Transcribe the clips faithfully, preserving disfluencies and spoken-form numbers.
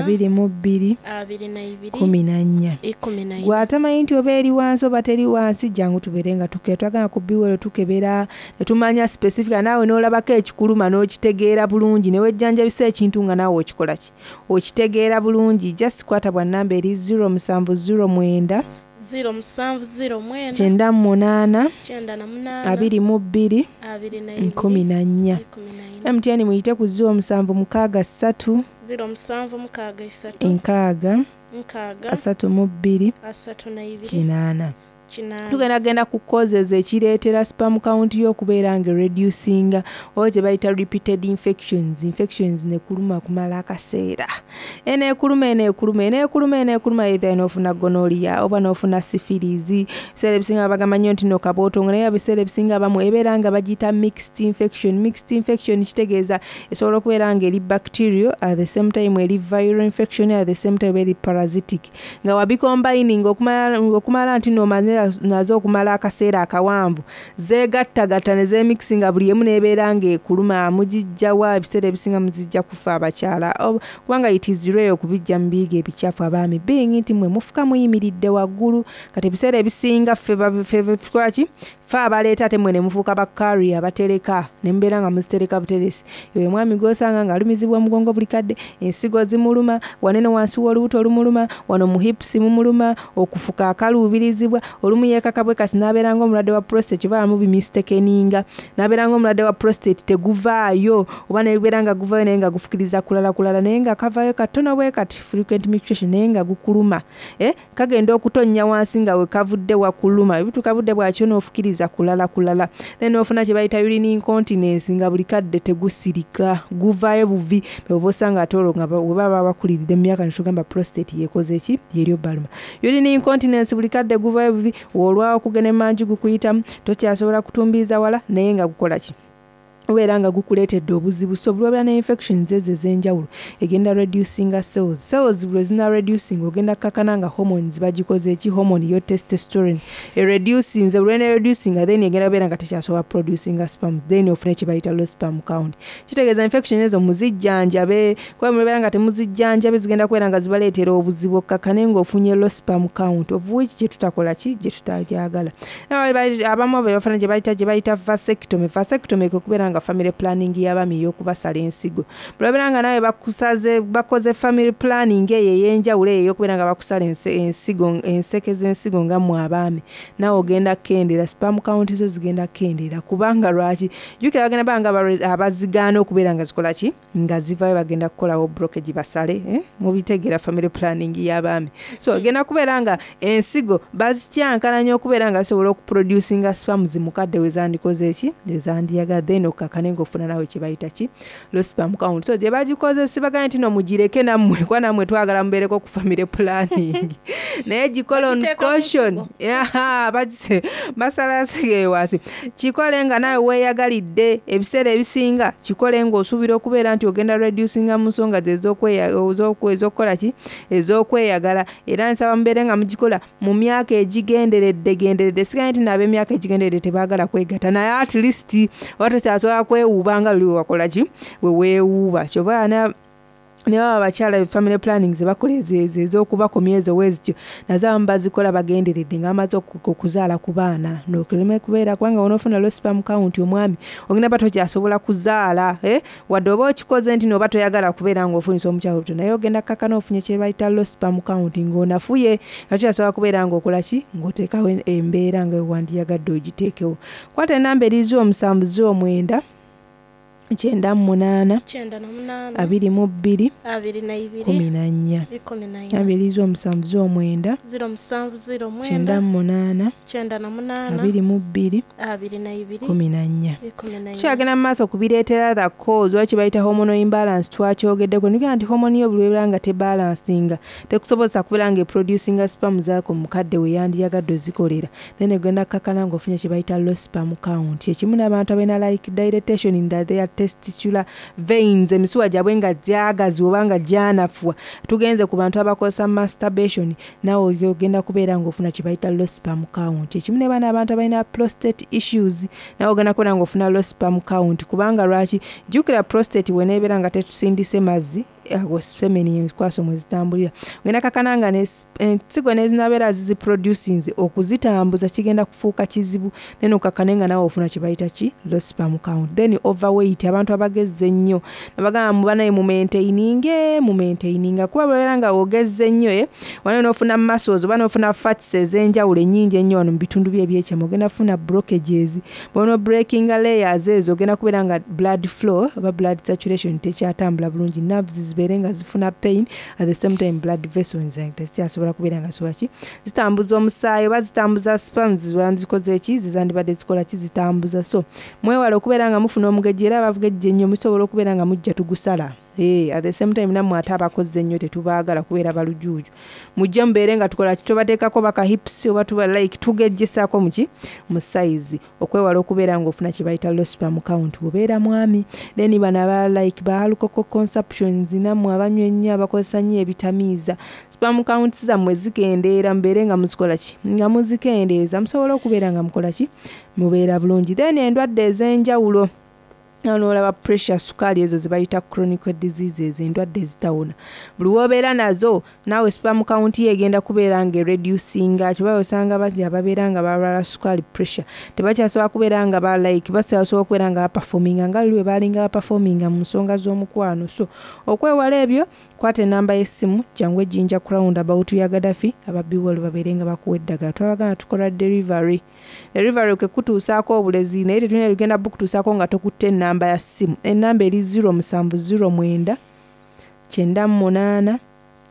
Abiri mu bbiri. Abiri na ibiri. Kumi na nnya. Ikumi na ina. Gwe atamanyi nti oba eri wansi oba teri wansi, jangu tubeere nga tukebera. Twagala ku biwero tukebera ne tumanya specific, naawe n'olabako ekikuluma n'okitegeera bulungi, ne wejjanjabisa ekintu nga naawe okikola ki, okitegeera bulungi. Just kwata bwa namba eri zero musanvu zero mwenda, zero musanvu zero mwenda, kyenda mu munaana, kyenda na munaana, abiri mu bbiri, abiri na ibiri, nkumi na nnya. Ikumi na ina. M T N muyite ku zero musanvu mukaaga ssatu, zero musanvu mukaaga isatu, nkaaga, nkaaga, asatu mu bbiri, asatu na ibiri, kinaana. Kinaana. Tugenda genda ku causes ekireetera sperm count y'okubeera nga reducinga, oba kye bayita repeated infections. Infections nekuluma kumala akaseera, eneekuluma, eneekuluma, eneekuluma, eneekuluma, either n'ofuna gonorrhea oba n'ofuna syphilis. Ebiseera ebisinga bagamba nnyo nti no kabootongo, naye ebiseera ebisinga abamu ebeera nga bagiyita mixed infection. Mixed infection kitegeeza esobola okubeera nga eri bacterial, at the same time eri viral infection, at the same time eri parasitic, nga wabicombining okumala okumala nti nomaze nazo okumala akaseera akawanvu, zeegattagatta ne zeemixinga, buli emu n'ebeera ng'ekuluma. Mugijjawa? Ebiseera ebisinga muzijja kufa abakyala, kubanga it is rare okubijja mu biyiga ebikyafu. Abaami, being nti mmwe mufuka muyimiridde waggulu, kati ebiseera ebisinga ffe tukola ki? Ffe abaleeta, ate mmwe ne mufuuka ba carrier abatereka, ne mubeera nga muzitereka buteresi. Oyo omwami gw'osanga ng'alumizibwa omugongo buli kadde, ensigo zimuluma wanene, wansi w'olubuto olumuluma, wano mu hips mumuluma, okufuka akaluubirizibwa, olumu yeekaka bwe kasi n'abeera ng'omulwadde wa prostate, oba abamu bimistakeninga n'abeera ng'omulwadde wa prostate, teguvaayo, oba negubeera nga guvaayo naye nga gufukiriza kulala kulala, naye nga kavaayo katono bwe kati, frequent micturition, naye nga gukuluma, eh, kagenda okutonnya wansi nga we kavudde wakuluma, ebituuka budde bwakyo n'ofukiriza kulala kulala. Then n'ofuna kye bayita urine incontinence, nga buli kadde tegusirika, guvaayo buvi. Bw'oba osanga ate olwo nga bwe baba bakuliridde mu myaka, ne tugamba prostate yekoze ki, yeri obaluma. Urine incontinence, buli kadde guvaayo buvi, olwawo okugenda emanju gukuyitamu, tokyasobola kutumbiiza wala, naye nga gukola ki, obeera nga gukuleetedde obuzibu. So buli obeera ne infections ezo ez'enjawulo, egenda reducinga cells. Cells bwe zina reducing, ogenda kakana nga hormones bagikoze eki, hormone yo testosterone ereducinze. Buli lwene reducinga, then egenda beera nga tekyasobola producinga sperm, then ofune kye bayita low sperm count. Kitegeeza infection ezo muzijjanjabe, kuba mubeera nga temuzijjanjabe, zigenda kubeera nga zibaleetera obuzibu, okkakane ng'ofunye low sperm count, of which gye tutakola ki, gye tutagyagala. Abamu be bafuna gye bayita gye bayita vasectomy. Vasectomy kwe kubeera nga family planning y'abaami, ey'okubasala ensigo. Bw'obeera nga naawe bakusaze, bakoze family planning eyo ey'enjawulo, eyo ey'okubeera nga bakusala ensigo, enseke z'ensigo, nga mmwe abaami naawe ogenda kukendera, sperm count zo zigenda kukendeera. Kubanga lwaki? Jjukira bagenda baba nga abazigaana okubeera nga zikola ki, nga zivaayo, bagenda kukolawo blockage, basale, eh? Mubitegeera, family planning y'abaami. So ogenda kubeera nga ensigo bazikyankalanya okubeera nga zisobola okuproducinga sperms mukadde we zandikoze eki, wezandiyagadde, then okkakane ng'ofuna naawe kye bayita ki, low sperm count. So gye bagikoze, sibagambye nti no mugireke nammwe, kuba nammwe twagala mubeereko ku family planning, naye gikole on caution. Basala nsigo wansi, kikole nga naawe weeyagalidde. Ebiseera ebisinga kikole ng'osuubira okubeera nti ogenda reducinga mu nsonga ze ez'okukola ki, ez'okweyagala. Era nsaba mubeere nga mugikola mu myaka egigenderedde genderedde. Sigaye nti naab'emyaka egigenderedde tebaagala kwegatta, naye at least oba tokyasobola kwewuuba nga luli we wakola ki, we weewuuba. Kyoba ne baba abakyala, family planning ze bakola ezo ezo ez'okubakomya ezo we zityo, nazo abamu bazikola bagenderedde nga bamaze okuzaala ku baana, nokuleme kubeera, kubanga onoofuna low sperm count, omwami ogenda ba tokyasobola kuzaala, eh? Wadde oba okikoze nti nooba toyagala kubeera ng'ofunyisa omukyala olubuto, naye ogenda kakana ofunye kye bayita low sperm count, ng'onafuye, nga tokyasobola kubeera ng'okola ki, ng'oteekawo embeera nga wandiyagadde ogiteekewo. Kwata enamba eri zero musanvu zero mwenda kyenda mu munaana, kyenda na munaana, abiri mu bbiri, abiri na ibiri, kumi na nnya. Ikumi na ina. Namba eri zero musanvu zero mwenda, zero musanvu zero kyenda mwenda, mu munaana, kyenda na munaana, abiri mu bbiri, abiri na ibiri, kumi na nnya. Ikumi na ina. Tukyagenda mu maaso ku bireetera, the cause, oba kye bayita hormonal imbalance. Twakyogeddeko nigamba nti hormone yo buli lw'ebeera nga tebalansinga, tekusobozesa kubeera nga eproducinga sperm zaako mukadde we yandiyagadde ozikolera, then egenda kukakana ng'ofunye kye bayita low sperm count. Ekimu n'abantu abalina like dilatation in the their testicular veins, emisuwa gyabwe nga gyagaziwa oba nga gyanafuwa. Tugenze ku bantu abakozesa masturbation, naawe ogenda kubeera ng'ofuna kye bayita low sperm count. Ekimu ne bano abantu abalina prostate issues, naawe ogenda kubeera ng'ofuna low sperm count. Kubanga lwaki? Jjukira prostate weneebeera nga tetusindise mazzi. Ago semen enkwaso mwe zitambulira. Ogenda kakana nga ensigo nezinabeera ziziproducinze, okuzitambuza kigenda kufuuka kizibu, then okakane nga nawe ofuna kye bayita ki low sperm count. Then overweight, abantu abagezze ennyo, nabagamba mubanaye mumaintaininge, mumaintaininga, kuba bwebeera nga ogezze nnyo, eh, wano n'ofuna muscles oba n'ofuna fats ez'enjawulo ennyingi ennyo wano mu bitundu bye ebyekyama, ogenda kufuna blockages. Bw'ono breakinga layers ezo, ogenda kubeera nga blood flow oba blood saturation tekyatambula bulungi, nerves zibeere nga zifuna pain, at the same time blood vessels tezikyasobola kubeera nga zisobola ki zitambuza omusaayi oba zitambuza sperms zikoze eki zizandibadde zikola ki zitambuza. So mwewale okubeera nga mufuna omugejjo, era abagejja ennyo musobola okubeera nga mujja tugusala. Hey, at the same time nammwe ate abakoze ennyo tetubaagala kubeera balujuuju, mujje mubeere nga tukola tubateekako baka hips oba tuba like tugejjesaako muki mu size, okwewala okubeera ng'ofuna kye bayita low sperm count obeera mwami. Then bano aba like ba alcohol consumptions, nammwe abanywa ennyo, abakozesa nnyo ebitamiiza, sperm counts zammwe zikendeera, mubeere nga muzikola ki nga muzikendeeza, musobola okubeera nga mukola ki mubeera bulungi. Then endwadde ez'enjawulo, n'olaba pressure, sukaali, ezo ze bayita chronic diseases, endwadde ezitawona, buli wobeera nazo naawe sperm count ye egenda kubeera nga ereducinga. Kiba osanga bazi ababeera nga balwala sukaali, pressure, tebakyasobola kubeera nga ba like bakyasobola okubeera nga baperforminga nga luli bwe baalinga baperforminga mu nsonga z'omukwano. So okwewala ebyo, kwata enamba y'essimu, jangu ejjinja ku roundabout ya Gaddafi, aba Biwell babeere nga bakuwa eddagala. Twabagamba tukola delivery. Delivery kwe kutuusaako obulezi, naye tetulina lugenda bukutuusaako nga tokutte ennamba ya ssimu. Ennamba eri zero musanvu zero mwenda kyenda mu munaana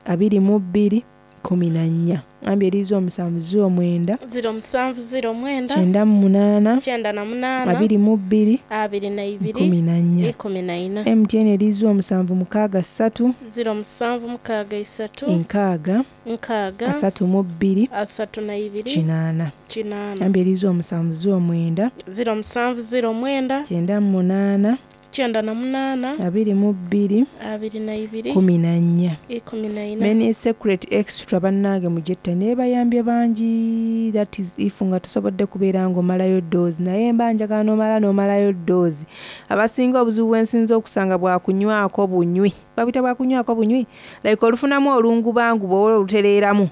abiri mu bbiri kkumi na nnya. Ambye eri zero musanvu zero mwenda ziro musanvu ziro mwenda kyenda mu munaana kyenda na munaana abiri mu bbiri abiri na ibiri kkumi na nnya. Ikumi na ina. M T N eri zero musanvu mukaaga ssatu ziro musanvu mukaaga isatu enkaaga nkaaga asatu mu bbiri asatu na ibiri kinaana. Kinaana. Ambye eri zero musanvu zero mwenda ziro musanvu ziro mwenda kyenda mu munaana kyenda na munaana abiri mu bbiri abiri na ibiri kkumi na nnya. Ikumi na ina. Men Secret Extra, bannange mujetta naye bayambye bangi. That is if nga tosobodde kubeera ng'omalayo dose, naye mba njagala n'omala n'omalayo dose. Abasinga obuzibu bwensinza okusanga bwakunywako bunywi, babuyita bwakunywako bunywi, like olufunamu olungubanguba oba olutereeramu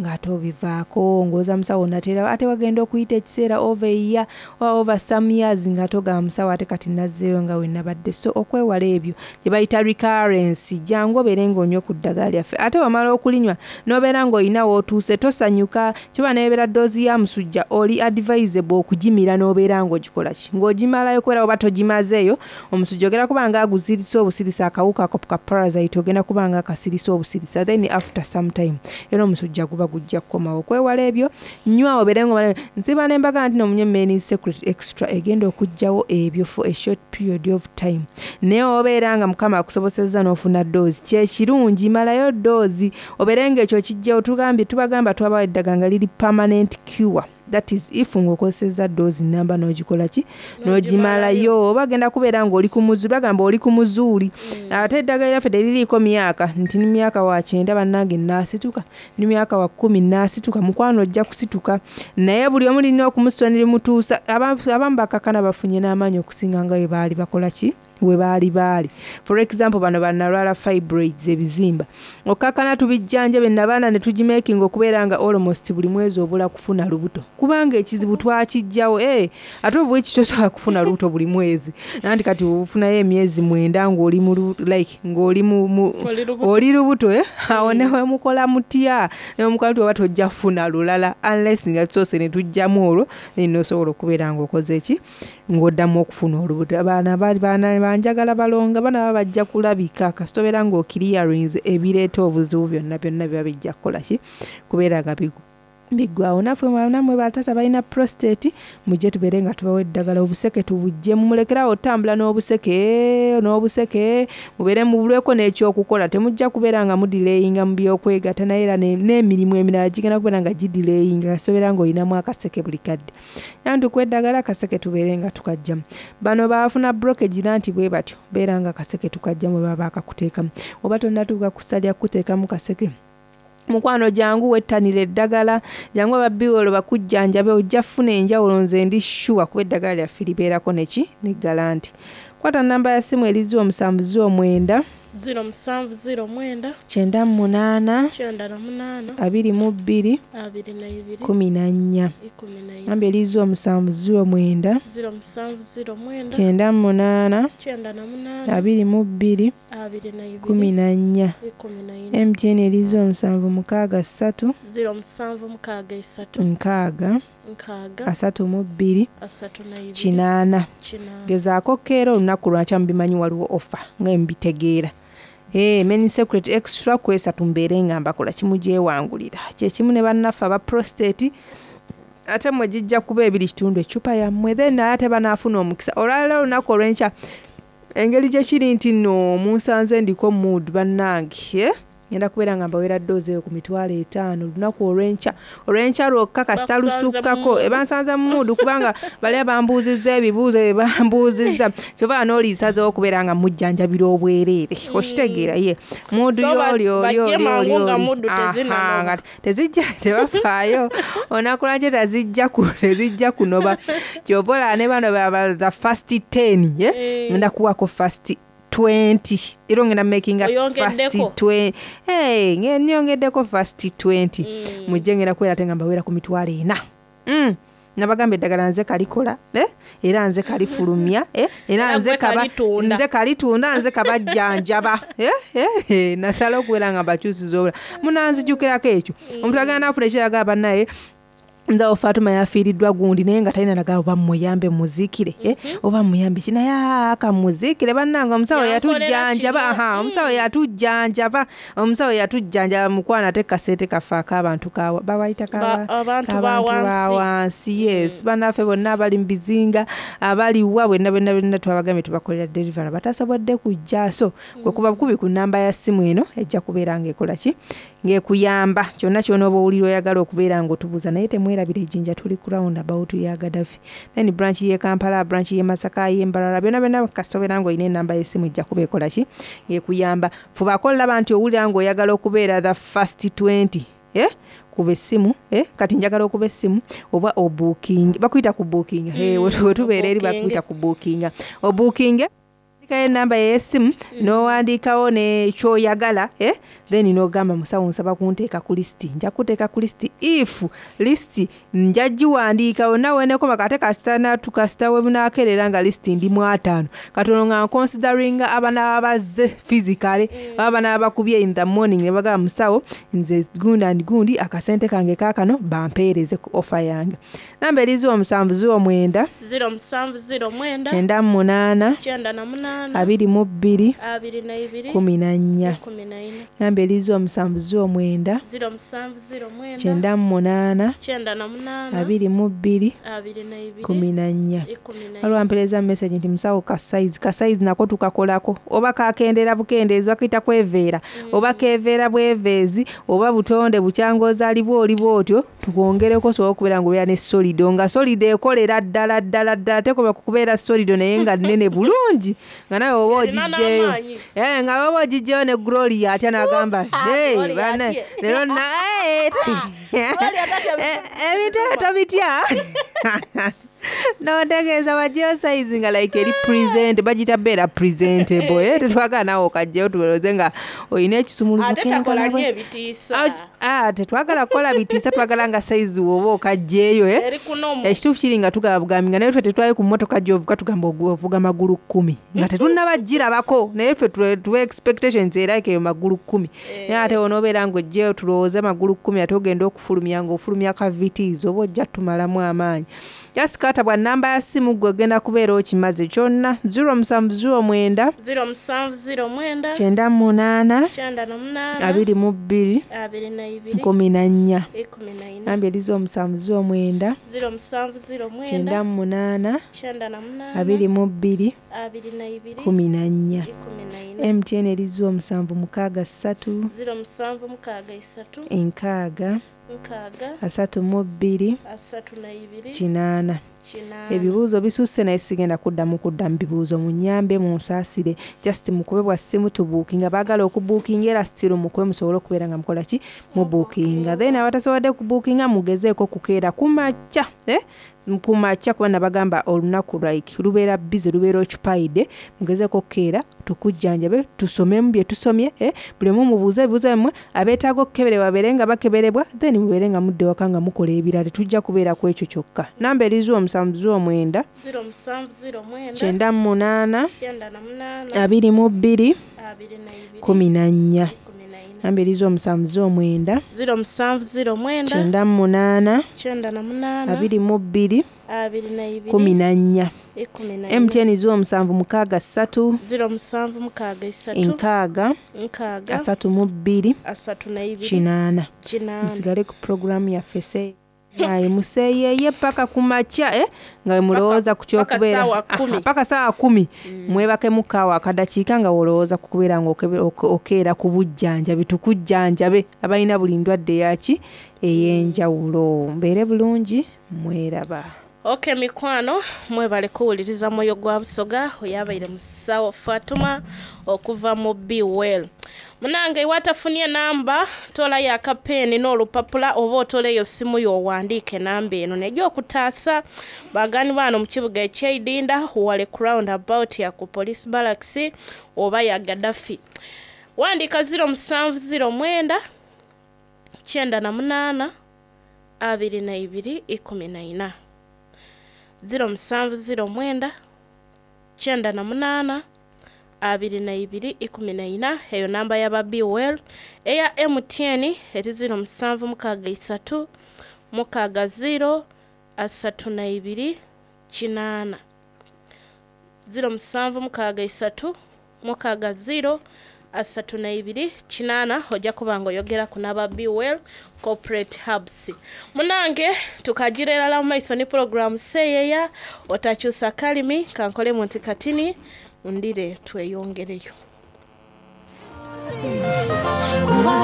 ng'ate obivaako, ng'oza musawo nateera, ate wagenda okuyita ekiseera over a year oba over some years ng'ate ogamba musawo ate kati nazzeeyo nga we nabadde. So okwewala ebyo gye bayita recurrence, jangu obeere ng'onywa ku ddagala lyaffe. Ate wamala okulinywa n'obeera ng'olina w'otuuse, tosanyuka kiba nebeera dose ya musujja, oli advisable okugimira n'obeera ng'ogikola ki ng'ogimalayo, kubeera oba togimazeeyo omusujja ogenda kuba nga aguzirisa obusirisa, akawuka ako ka parasite ogenda kuba nga akasirisa obusirisa, then after some time era omusujja guba gujja kukomawo. Okwewala ebyo, nywa obeere nga nsiba ne mbaga nti nomunywe Men Secret Extra, egenda okuggyawo ebyo for a short period of time. Naye obeera nga Mukama akusobosezza n'ofuna dose, kyekirungi malayo dose obeere nga ekyo kijjawo. Tugambye, tubagamba twabawa eddagala nga liri permanent cure. That is if ng'okozesezza dose namba n'ogikola ki n'ogimalayo, oba genda kubeera ng'oli ku muzuuli, bagamba oli ku muzuuli. Ate eddagala lyaffe teririiko myaka nti ni myaka wa kyenda bannange naasituka, ni myaka wa kkumi naasituka. Mukwano, ojja kusituka, naye buli omu lirina okumusitula ne limutuusa. Abamu bakakana bafunye n'amaanyi okusinga nga bwe baali bakola ki we baali baali. For example, bano bannalwala fibroids, ebizimba, okkakkana tubijjanjabe nabaana ne tugimakinga okubeera nga almost buli mwezi obula kufuna lubuto, kubanga ekizibu twakijjawo. Eh, ate of which tosobola kufuna lubuto buli mwezi, nanti kati ofunayo emyezi mwenda ng'oli mu like ng'oli mu oli lubuto, eh? Awo ne wemukola mutya, nemukola ti oba tojja kufuna lulala unless nga tusoose ne tujjamu olwo, then nosobola okubeera ng'okoze eki ng'oddamu okufuna olubuto. Abaana banjagala balonga, baana baba bajja kulabika kasita obeera ng'oclearinze ebireeta obuzibu byonna byonna, biba bijja kukola ki kubeera nga biggwawo. Naffe nammwe bataata balina prostate, mujje tubeere nga tubawa eddagala, obuseke tubuggyemu, mulekerawo otambula n'obuseke n'obuseke, mubeere mubulweko n'ekyokukola. Temujja kubeera nga mudelayinga mu byokwegatta, naye era n'emirimu emirala gigenda kubeera nga gidelayinga kasita obeera ng'olinamu akaseke buli kadde. Yantukuwa eddagala, akaseke tubeere nga tukajjamu. Bano baafuna blockage nti bwe batyo beera nga akaseke tukajjamu bwe baba bakakuteekamu. Oba tonnatuuka ku ssa lya kukuteekamu kaseke, mukwano, jangu wettanira eddagala, jangu ababbiwolo bakujjanjabe, ojja funa enjawulo, nze ndi sure, kuba eddagala lyaffe libeerako neki ne guarantee. Kwata namba ya ssimu eri zero musanvu zero mwenda Ziro musanvu ziro mwenda, kyenda mu munaana, kyenda na munaana, abiri mu bbiri, abiri na ibiri, kumi na nnya. Ikumi na ina. Namba eri ziro musanvu ziro mwenda, Ziro musanvu ziro mwenda, kyenda mu munaana, kyenda na munaana, abiri mu bbiri, abiri na ibiri, kumi na nnya. Ikumi na ina. M T N eri ziro musanvu mukaaga ssatu, Ziro musanvu mukaaga isatu, nkaaga, nkaaga, asatu mu bbiri, asatu na ibiri, kinaana. Kinaana. Gezaako keera olunaku lwankya, mubimanyi waliwo offer nga mbitegeera. Eh, Men Secret Extra ku esatu mbeere nga mbakola kimu gyewangulira kyekimu ne bannaffe aba prostate, ate mmwe gijja kuba ebiri kitundu eccupa yammwe, then naye ate banaafuna omukisa olwaleero olunaku olw'enkya. Engeri gye kiri nti nno munsanze ndiko mood, bannange, eh? Ngenda kubeera nga mbaweera dose eyo ku mitwalo etaano olunaku olw'enkya, olw'enkya lwokka kasita Bakusanze mu lusukkako. mood. Ebansanze mu mood kubanga bali bambuuzizza ebibuuzo bye bambuuzizza, kyova n'oliisazeewo okubeera nga mujjanjabira obwereere, okitegeera ye mood. So ba- Y'oli oli bajje oli mangu oli nga oli. mood Aha, tezinnanoba. nga tezijja, tebafaayo olunaku lwankya tezijja ku tezijja kunoba. Kyova olaba ne bano baba the first ten, ye Eh. ngenda kuwako first twenty era ngenda makinga first Oyongeddeko? twenty. Hey, nyongeddeko first twenty. Mm. Mujje, ngenda kubeera ate nga mbaweera ku mitwalo ena. Mm. Nabagamba eddagala nze kalikola, eh? Era nze kalifulumya, eh? Era Era nze gwe kaba kalitunda. Nze kalitunda, nze kabajjanjaba, eh? eh? eh, nasala okubeera nga mbakyusiza obula munanzijukirako ekyo. Omuntu agenda nafuna ekiraga bannaye, nzawo Fatuma yafiiriddwa gundi, naye nga talina naga oba muyambe muziikire, eh? Oba muyambe ki, naye akamuziikire bannange omusawo Yankolera yatujjanjaba. kino. Aha, omusawo yatujjanjaba, omusawo yatujjanjaba mukwano. Ate kasente kaffe ak'abantu kawa babayita kawa- Ba- abantu ba k'abantu ba wansi. wansi, yes. Bannaffe bonna abali mu bizinga, abaliwa bwenna bwenna bwenna, twabagambye tubakolera delivery batasobodde kujja. So kwe kuba bukubi ku namba ya ssimu eno, ejja kubeera ng'ekola ki, ng'ekuyamba kyonna kyona oba owulira oyagala okubeera ng'otubuuza. Naye temwerabira ejjinja, tuli ku round about ya Gadafi, then branch y'e Kampala, branch y'e Masaka, y'e Mbarara, byonna byonna kasita obeera ng'olina enamba y'essimu ejja kuba ekola ki, ng'ekuyamba. Fubaako olaba nti owulira ng'oyagala okubeera the first twenty, eh? Kuba essimu, eh? Kati njagala okuba essimu oba obooking, bakuyita ku booking. mm, wetubeera eri obooking. Bakuyita ku bookinga, obookinge andikayo enamba ey'essimu n'owandiikawo nekyoyagala, eh? Then n'ogamba musawo nsaba kunteeka ku lisiti, nja kuteeka ku lisiti. If lisiti nja giwandiika wonna wenekoma, kate kasita natu kasita we bunaakeerera nga lisiti ndi mu ataano katono, nga nconsideringa abanaaba bazze physically oba banaaba bakubye in the morning ne bagamba musawo nze gundi and gundi, akasente kange kaakano bampeereze ku offer yange. Namba eri ziro musanvu ziro mwenda, Ziro musanvu ziro mwenda, kyenda mu munaana, kyenda na munaana, abiri mu bbiri, abiri na ibiri, kumi na nnya. Kumi na ina. Namba eri ziro musanvu ziro mwenda, Ziro musanvu ziro mwenda, kyenda mu munaana, kyenda na munaana, abiri mu bbiri, abiri na ibiri, kumi na nnya. Ikumi na Waliwo ampeereza message nti musawo ka size, ka size nako tukakolako oba kakendera bukendeezi, bakiyita kweveera, oba keveera bweveezi oba butonde bukyanga ozaalibwa oli bwotyo, tukwongereko osobola okubeera ng'obeera ne solido, nga solido ekolera ddala ddala ddala, tekoma ku kubeera solido naye nga nnene bulungi, nga nawe oba Erina ogijjeeyo n'amaanyi. Eh, nga oba ogijjeyo ne Gloria atya n'agamba, "Hey, Gloria bana, atye." leero na eh, Gloria tatya. Eh, ebintu ebyo tobitya nontegeeza wajjeyo size nga like eri present, bagiyita beera presentable, eh, tetwagala naawe okajjeyo tulowooze nga olina ekisumuluzo Ate takola kenkana nnyo bwe- ebitiisa. Ah, ah, tetwagala kukola bitiisa, twagala nga size woba okajjeeyo, eh. Eri kunomu. Ekituufu kiri nga tugaba bugambi nga naye ffe tetwali ku mmotoka gy'ovuga, tugamba ogu- ovuga magulu kkumi nga tetunnaba girabako, naye ffe tuwe tuwe expectations era eyo magulu kkumi, naye ate onoobeera ng'ojjeyo tulowooze magulu kkumi, ate ogenda okufulumya ng'ofulumya ka Vitz, oba ojja tumalamu amaanyi. Jasikata bwa namba ya ssimu gwe ogenda kubeera okimaze kyonna, ziro musanvu ziro mwenda, Ziro musanvu ziro mwenda, kyenda mu munaana, kyenda na munaana, abiri mu bbiri, abiri na ibiri, kumi na nnya. Ikumi na ina. Namba eri ziro musanvu ziro mwenda, Ziro musanvu ziro mwenda, kyenda mu munaana, kyenda na munaana, abiri mu bbiri, abiri na ibiri, kumi na nnya. Ikumi na ina. M T N eri ziro musanvu mukaaga ssatu, Ziro musanvu mukaaga isatu, enkaaga, nkaaga, asatu mu bbiri, asatu na ibiri, kinaana. Kinaana. Ebibuuzo bisusse naye sigenda kuddamu kuddamu bibuuzo, munyambe munsaasire, just mukube bwa ssimu tubuukinga. Baagala okubuukinga era still mukube musobole okubeera nga mukola ki, mubuukinga. Then abatasobodde kubuukinga mugezeeko kukeera ku makya, eh? Kumakya kuba nabagamba olunaku like lubeera busy, lubeera occupied. Mugezeeko okukeera tukujjanjabe, tusomemu bye tusomye, eh, buli omu mubuuze ebibuuzo byammwe, abeetaaga okukeberebwa babeere nga bakeberebwa, then mubeere nga mudda ewaka nga mukola ebirala. Tetujja kubeera ku ekyo kyokka. Namba eri ziro musanvu ziro mwenda ziro musanvu ziro mwenda kyenda mu munaana kyenda na munaana abiri mu bbiri abiri na ibiri kumi na nnya. Kumi na ina. Namba eri ziro musanvu ziro mwenda ziro musanvu ziro mwenda kyenda mu munaana kyenda na munaana abiri mu bbiri abiri na ibiri kumi na nnya. Ikumi na ina. M T N ziro musanvu mukaaga ssatu ziro musanvu mukaaga isatu enkaaga nkaaga asatu mu bbiri asatu na ibiri kinaana. Kinaana. Musigale ku puroguramu yaffe se aye museeyeeye paka ku makya, eh, nga mulowooza ku kyokubeera Paka saawa kumi. Aha, paka saawa kumi. Mwebakemu kaawa akadakiika nga wolowooza ku kubeera nga okebe- oke- okeera ku bujjanjabi, tukujjanjabe abalina buli ndwadde yaki ey'enjawulo. Mbeere bulungi, mweraba. Ok, mikwano, mwebale kuwuliriza Mwoyo gwa Busoga. Oyabaire musawo Fatuma okuva mu Be Well. Munange, iwatafunye namba, tolayo akapeeni n'olupapula oba otoleyo simu yowandiike namba eno nejja okutaasa bagani baano mu kibuga ekyeidinda, wale ku round about ya ku police barracks oba ya Gaddafi. Wandiika ziro musanvu ziro mwenda kyenda na munaana abiri na ibiri ikumi na ina, ziro musanvu ziro mwenda kyenda na munaana abiri na ibiri ikumi na ina. Eyo namba yaba Be Well. Eya M T N eri ziro musanvu mukaaga isatu mukaaga ziro asatu na ibiri kinaana, ziro musanvu mukaaga isatu mukaaga ziro asatu na ibiri kinaana. Ojja kuba nga oyogera ku naba Be Well Corporate Hubs. Munange, tukagira erala mu maiso ni puroguramu Seeyeya. Otakyusa kalimi kankole mu nti katini ndire tweyongereyo. Kuba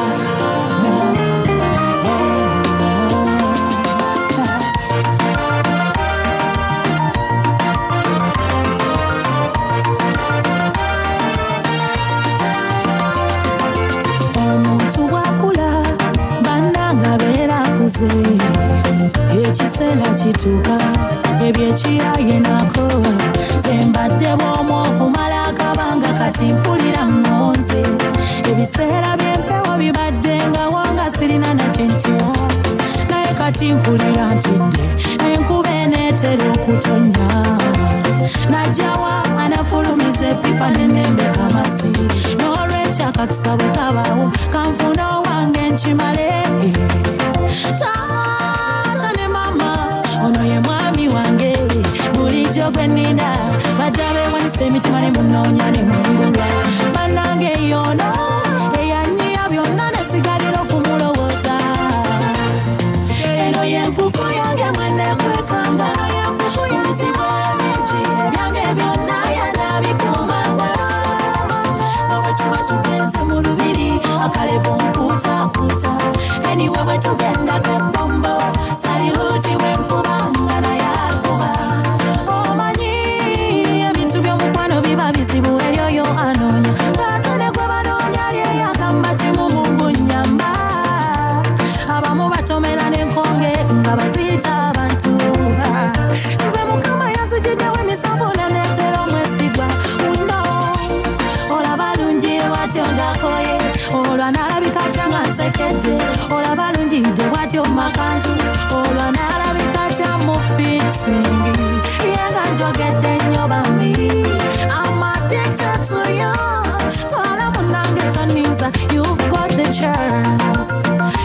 omuntu bwakula bannanga abeera akuze, ekiseera kituuka ebyekiyaye nako. Nze mbadde bw'omu okumala akabanga, kati mpulira ŋŋonze. Ebiseera by'empewo bibaddengawo nga sirina nakyenkya, naye kati mpulira ntidde, enkuba eneetera okutonnya. Najjawa anafulumiza epipa nenembeka amazzi? N'olwekyo akakisa bwe kabaawo kanfune owange nkimale. Taata ne mama, ono ye mwami wange bulijjo gwe nninda. Badde abeewanisa emitima ne munoonya ne mungulwa. Bannange, yono eyanyiya byonna nesigalira okumulowooza. Eno yempuku yange mwenekwekanga, mubizibu ebingi ebyange byonna yanabikuumanga. Nga bwe tuba tugenze mu lubiri, akalevu nkuutakuuta. Eniwe bwe tugenda kebombo, salihuti bwenkubanga nayakuba. Omanyi ebintu by'omukwano biba bizibu, eryoyo anoonya ng'ate ne gwe banoonya lyeyagamba kimu Mungu nnyamba. Abamu batomera n'enkonge nga baziyita abantu. Nze Mukama yanzijiddewo emisanvu neneetera omwesigwa uno. Olaba lungi bwatyo ng'akoye, olwa n'alabika atya nga nsekedde. Olaba lungidde bwatyo mu makanzu, olwa n'alabika atya mu fitting. Ye nga njogedde nnyo bambi. I'm addicted to you. Twala munange toninza, you've got the charms.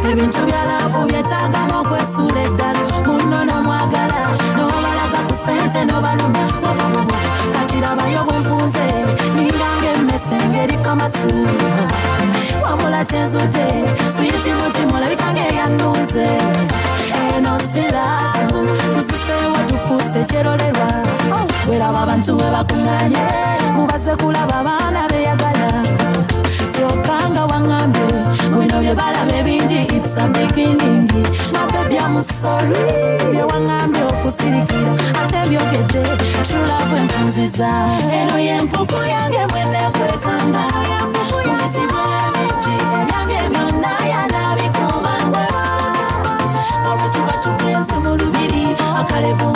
Ebintu bya love byetaagamu okwesuula eddala. Muno namwagala n'obalaga ku ssente n'obaluma. Kati labayo bwenfunze, ninganga emmese ngeri kamasuula. Wabula kyenzudde sweetie, mutima olabika ng'eyannunze. Eno siraamu tususeewo, tufuuse kyerolerwa. Weraba abantu we bakuŋŋaanye mubaze kulaba abaana beyagala. Kyokka nga waŋŋambye bino bye balaba ebingi, it's a beginning. My baby, I'm sorry, bye waŋŋambye okusirikira ate byogedde. True love enfunziza. Eno y'empuku yange mwenekwekanga, mubizibu ebingi ebyange byonna yanabikuumanga. Nga bwe tuba tugenze mu lubiri, akalevu.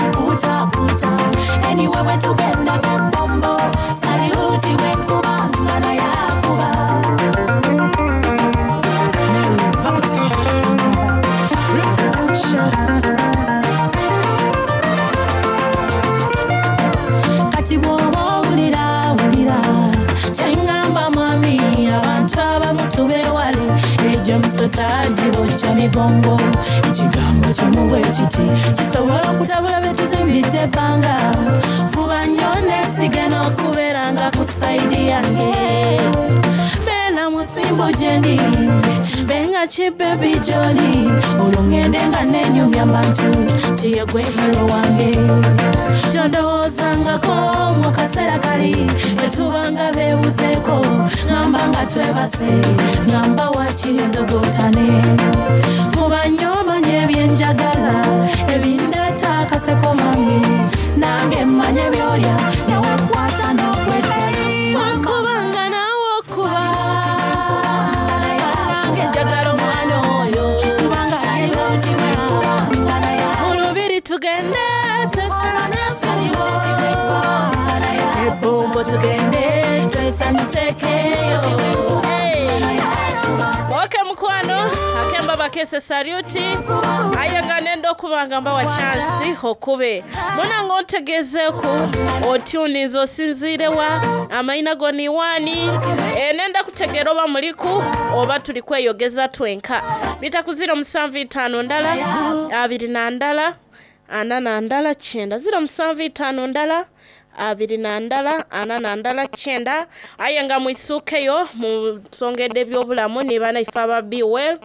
Gy'omusota gibojja migongo. Ekigambo kimu bwe kiti kisobola okutabula bye tuzimbidde ebbanga. Fuba nnyo neesige n'okubeeranga ku sayidi yange. Beera musimbu gye ndi, benga ki baby gy'oli, olwo ŋŋende nga neenyumya bantu nti ye gwe hero wange. Tondowoozangako mu kaseera kali tetubanga beebuzeeko, ŋŋamba nga twebase, ŋŋamba waakiri ndogotane. Fuba nnyo omanye bye njagala, ebindeeta akaseko mami, nange mmanye by'olya, newekwata n'okwetta. Wankubanga naawe okuba. Nange njagala omwana oyo, kubanga Mu lubiri tugende twesanyuse. Ebombo tugende twesanyisekeyo. Oke mukwano akemba bakese saluti aye nga nenda okubanga mbawa chansi okube munange ontegezeeku otuninza osinziirewa amayina go niwaani e, nenda kutegeera oba muliku oba tuli kweyogeza twenka bita ku ziro musanvu itaano ndala abiri na ndala ana na ndala kyenda ziro musanvu itaano ndala abiri na ndala ana na ndala kyenda aye nga mwisuukeyo mu nsonga ed'ebyobulamu ni banaife aba Be Well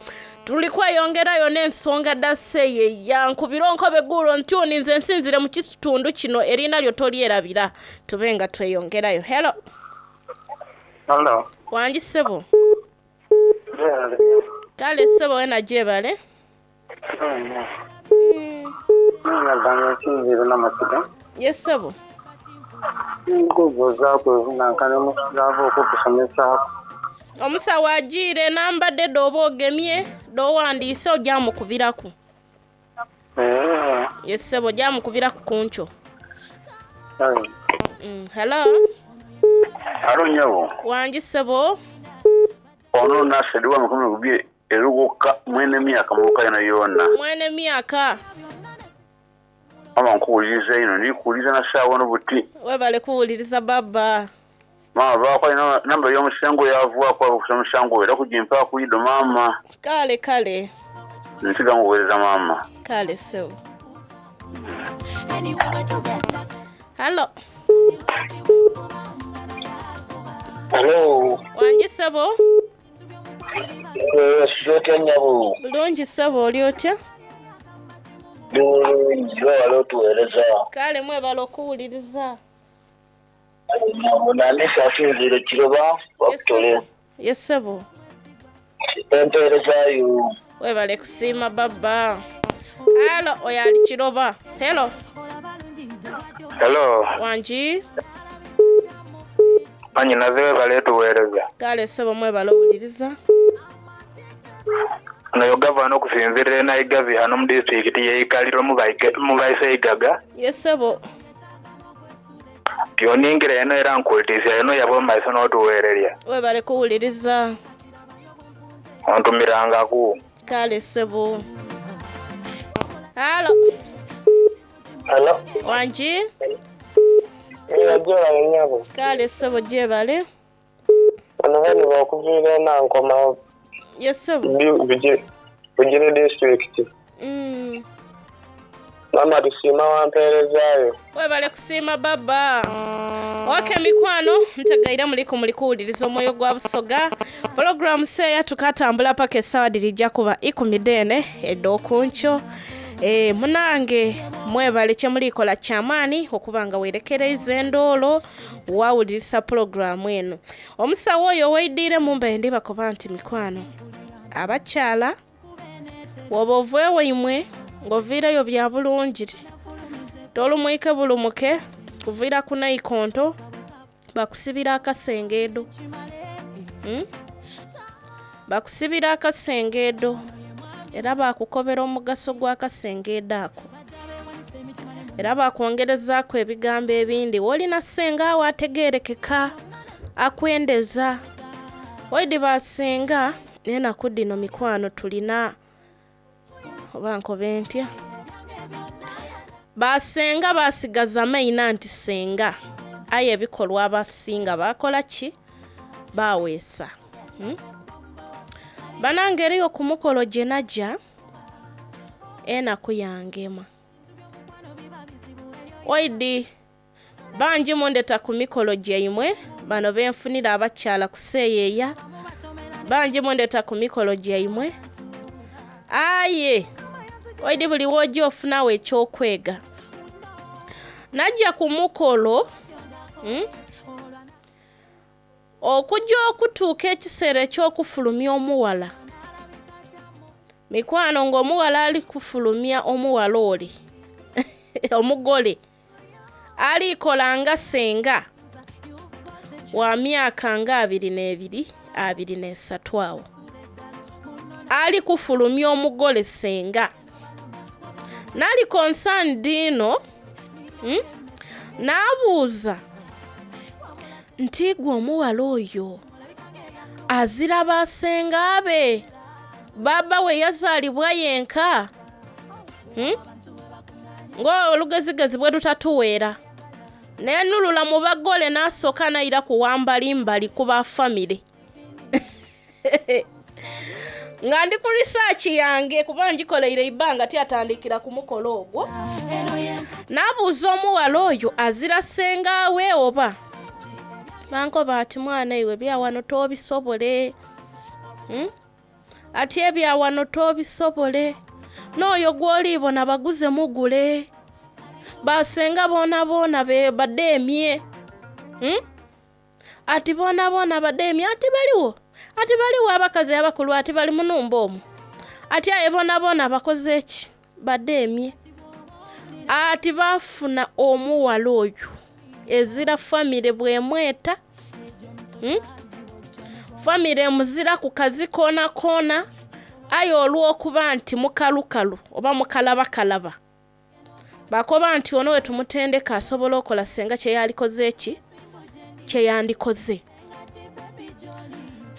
tuli kweyongerayo n'ensonga daseye yankubira onkobe gulo ntyuni nze nsinzire mu kitundu kino erina lyo tolyerabira tube nga tweyongerayo. Hello. Hello. Wangi ssebo. Kale ssebo wena gyebale. Nagamba nsinziire n'amasiga. Ye ssebo. Nkubuuzaako nankana omusawo okukusomesaako. Omusawo agiire nambadde dooba ogemye doowandiise ojamukubiraku. Eh. Ye ssebo ojamukubiraku ku nkyo. Mm, hello. Alo nnyabo. Wangi ssebo. Ono nasediwa makumi kubye erugoka mwene myaka muka yona yona. Mwene myaka. Mama nkuwuliriza ino ndikuwuliriza na ssaawa n'obuti. Webale kuwuliriza baba. Mama baako ina namba y'omusango yavuwako abakusa omusango era kugimpa kuyido mama. Kale kale. Nsiga nkuweereza mama. Kale ssebo. Hello. Hello. Wangi ssebo. Eh, otya nnyabo? Bulungi ssebo oli otya? Bulungi wewale otuweereza. Kale mwebale okuwuliriza. Nandisa asinziire Kiroba bakutole. Ye ssebo. Empeerezaayo. Webale kusiima baba. Hello, oyo ali Kiroba. Hello. Hello. Wangi. Manyinaze webale tuweereza. Kale ssebo mwebale owuliriza. Ono gavana okusinziirira Naigavi hano mu disitulikiti y'e Ikaliro mu baise Igaga. Ye ssebo. Tyoningira eno era nkuwuliriza eno yaba omu maiso n'otuweererya. Webale kuwuliriza. Ontumirangaku. Kale ssebo. Hello. Hello. Wangi. Gyebale nnyabo. Kale ssebo gyebale. Bano bani bakuviira Nankoma. Ye ssebo. Bugiri disitulikiti. Mm. Mama tusiima wampeerezaayo. Webale kusiima baba. Oke mikwano ntegeire muliku muli kuwuliriza omwoyo gwa Busoga. Pulogulaamu seeya tukatambula paka essaawa dirijja kuba ikumi deene ed'okunkyo. E, munange mwebale kye mulikola kyamaani okuba nga weerekereza endoolo wawulirisa pulogulaamu eno. Omusawo oyo weiddiire mumba ndi bakoba nti mikwano abakyala woba oveewo imwe ng'oviireyo bya bulungi tolumwike bulumuke kuviira ku naikonto bakusibira akasengeedo. Mm? Bakusibira akasengeedo era bakukobera omugaso gw'akasengeedo ako era bakwongerezaako ebigambo ebindi wolina ssenga awo ategeerekeka akwendeza oidi basenga naye naku dino mikwano tulina oba nkobe ntya basenga basigaza maina nti senga aye ebikolwa abasinga bakola ki baweesa. Hmm? Banange eriyo ku mukolo gye najja enaku yangema. Oidi bangi mundeta ku mikolo gyaimwe, bano benfunira abakyala kuseeyeeya, bangi mundeta ku mikolo gyaimwe. Aye oidi buli w'ojja ofunawo ekyokwega. Najja ku mukolo mm, okujja okutuuka ekiseera eky'okufulumya omuwala. Mikwano ng'omuwala ali kufulumya omuwala ole omugole alikola nga senga wa myaka nga abiri n'ebiri abiri n'esatu awo, ali kufulumya omugole senga. Nali concerned ino mm, n'abuuza nti gwe omuwala oyo azira basenga be baba we yazaalibwa yenka hmm? Ng'olugezigezi bwe lutatuweera nenulula mu bagole n'asooka nayira ku wambalimbali ku ba famire nga ndi ku risaaki yange kuba ngikoleire ebbanga tyatandikira ku mukolo ogwo. N'abuuza omuwala oyo azira senga we oba bankoba ati mwana iwe byawano tobisobole hmm? Ati ebyawano tobisobole n'oyo gw'oliibona baguze mugule basenga boona boona be badeemye hmm? Ati boona boona badeemye, ati baliwo ati baliwo abakazi abakulu ati bali mu numba omwo, ati aye boona boona bakoze eki badeemye. Ati bafuna omuwala oyo ezira famire bwemweta hmm? Famire emuzira ku kazi koona koona, aye olw'okuba nti mukalukalu oba mukalabakalaba bakoba nti ono we tumutendeka asobola okola senga kye yalikoze eki kye yandikoze.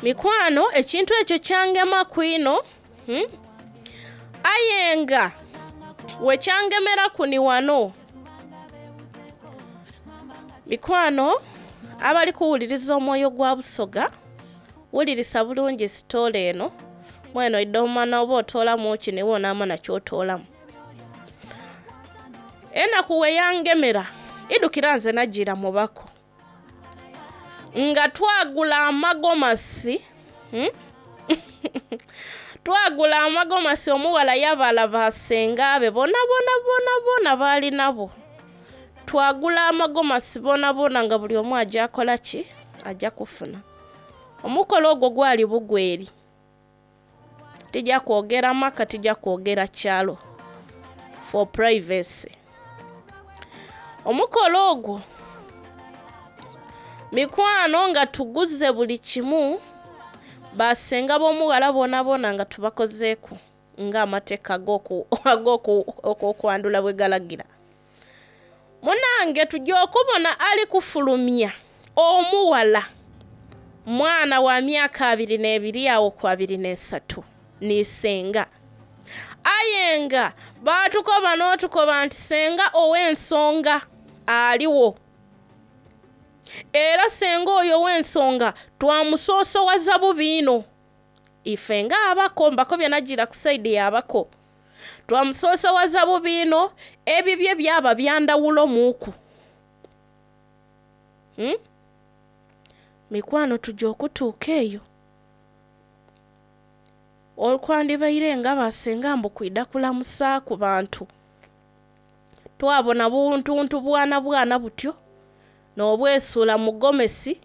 Mikwano ekintu ekyo kyangema kwino hmm? Aye nga we kyangemera kuni wano mikwano abali kuwuliriza omwoyo gwa Busoga, wulirisa bulungi sitoola eno mweno idoma oba otoolamu ki niwe onaamana kyotoolamu. Enaku we yangemera idukira nze nagira mubako nga twagula amagomasi hmm? Twagula amagomasi omuwala yabala basenga be bona bona bona bona baali nabo. Twagula amagomasi bona bona nga buli omu ajja akola ki ajja kufuna. Omukolo ogwo gwali bugweri, tijja kwogera maka, tijja kwogera kyalo for privacy. Omukolo ogwo mikwano nga tuguze buli kimu, basenga b'omuwala bona bona nga tubakozeeku ng'amateeka ag'okwandula bwe galagira. Munange tujja okubona ali kufulumya omuwala mwana wa myaka abiri n'ebiri awo ku abiri n'esatu ni senga. Aye nga baatukoba n'otukoba nti senga ow'ensonga aliwo, era senga oyo ow'ensonga twamusoosowaza bubi ino ife ng'abako mbako bye nagira ku saidi y'abako twamusoosowaza bubi ino ebibye byaba byandawulo muuku hmm? Mikwano tujja okutuuka eyo olwandibaire nga basenga mbu kwida kulamusa ku bantu twabona buntuntu bwana bwana butyo n'obwesuula mu gomesi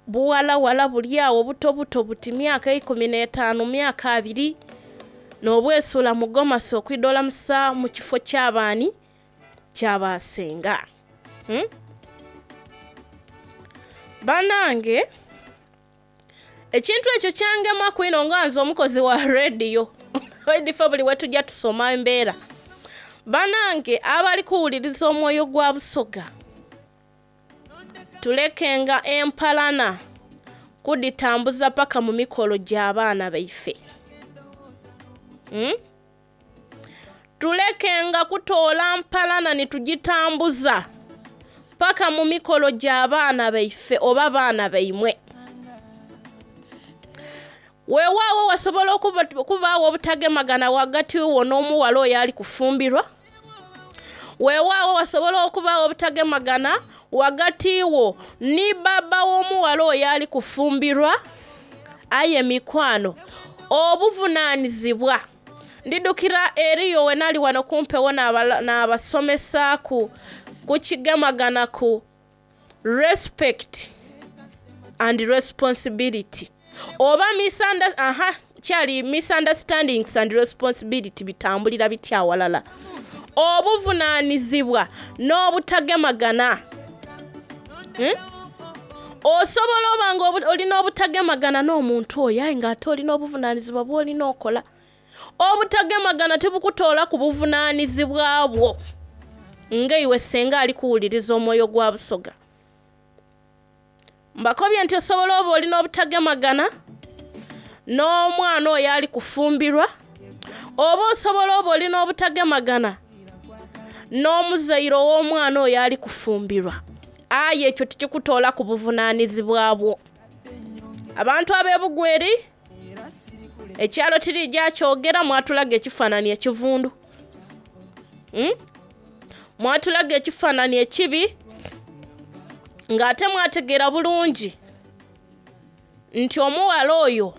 buwalawala buli awo buto buto buti myaka ikumi n'etaano myaka abiri n'obwesuula mu gomasi okwida olamusa mu kifo ky'abaani kyabasenga hmm? Banange ekintu ekyo kyangema kwino nga nze omukozi wa rediyo edife buli we tujja tusoma embeera. Banange abali kuwuliriza omwoyo gwa Busoga, tulekenga empalana kuditambuza paka mu mikolo gy'abaana baife hmm? Tulekenga kutoola mpalana nitugitambuza paka mu mikolo gy'abaana baife oba baana baimwe. Weewaawo wasobola okubaawo obutagemagana wagati wo n'omuwala oyo ali kufumbirwa. Weewaawo wasobola okubaawo obutagemagana wagati wo ni baba w'omuwala oyo ali kufumbirwa. Aye mikwano, obuvunaanyizibwa. Ndidukira eriyo we nali wano kumpewo n'abasomesaaku ku kigemagana ku respect and responsibility, oba misanda aha kyali misunderstandings and responsibility bitambulira bitya awalala. Obuvunaanyizibwa n'obutagemagana. Hmm? Osobola oba nga olina obutagemagana n'omuntu oyo, aye ng'ate olina obuvunaanyizibwa bw'olina okola. Obutagemagana tibukutoola ku buvunaanyizibwa bwo ng'eiwe senga ali kuwuliriza omwoyo gwa Busoga. Mbakobye nti osobola oba olina obutagemagana n'omwana oyo ali kufumbirwa, oba osobola oba olina obutagemagana n'omuzaire ow'omwana oyo ali kufumbirwa, aye ekyo tikikutoola ku buvunaanyizibwa bwo. Abantu ab'ebugweri ekyalo tirijja kyogera, mwatulaga ekifaananyi ekivundu. Hmm? Mwatulaga ekifaananyi ekibi ng'ate mwategeera bulungi nti omuwala oyo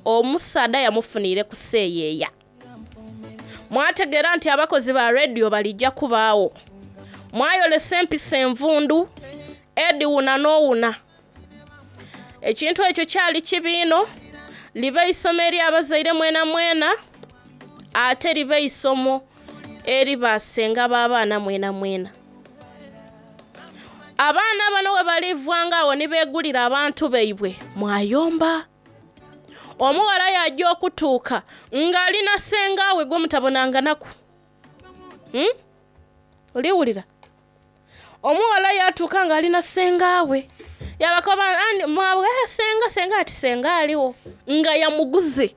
omusaada yamufunire kuseeyeeya. Mwategeera nti abakozi ba rediyo balijja kubaawo. Mwayolesa empisa envundu ediwuna n'owuna. Ekintu ekyo kyali kibiino. Libe isomo eri abazaire mwena mwena, ate libe isomo eri basenga b'abaana mwena mwena. Abaana bano we balivwanga awo ni beegulira abantu baibwe mwayomba. Omuwala yajja okutuuka ng'alina sengaawe gwe mutabonanganaku. Hmm? Oliwulira? Omuwala yatuuka ng'alina sengaawe, yabakoba mwabwe senga senga ati senga aliwo, nga yamuguze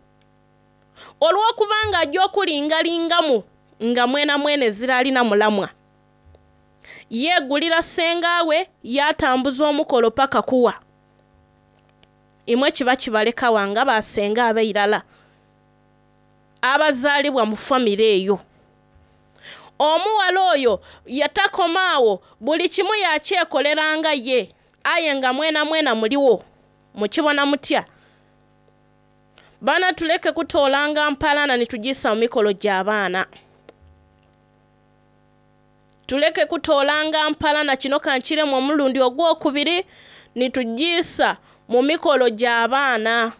olw'okubanga ajja okulingalingamu nga mwena mwena ezira alina mulamwa. Yeegulira sengaawe yatambuza omukolo paka kuwa. Imwe kiba kibaleka wanga basenga abeirala abazaalibwa mu famire eyo. Omuwala oyo yatakomaawo, buli kimu yakyekoleranga ye, aye nga mwena mwena muliwo. Mukibona mutya? Baana tuleke kutoolanga mpalana nitugisa mu mikolo gy'abaana. Tuleke kutoolanga mpalana kino kankiremu omulundi ogwokubiri nitugiisa mu mikolo gy'abaana.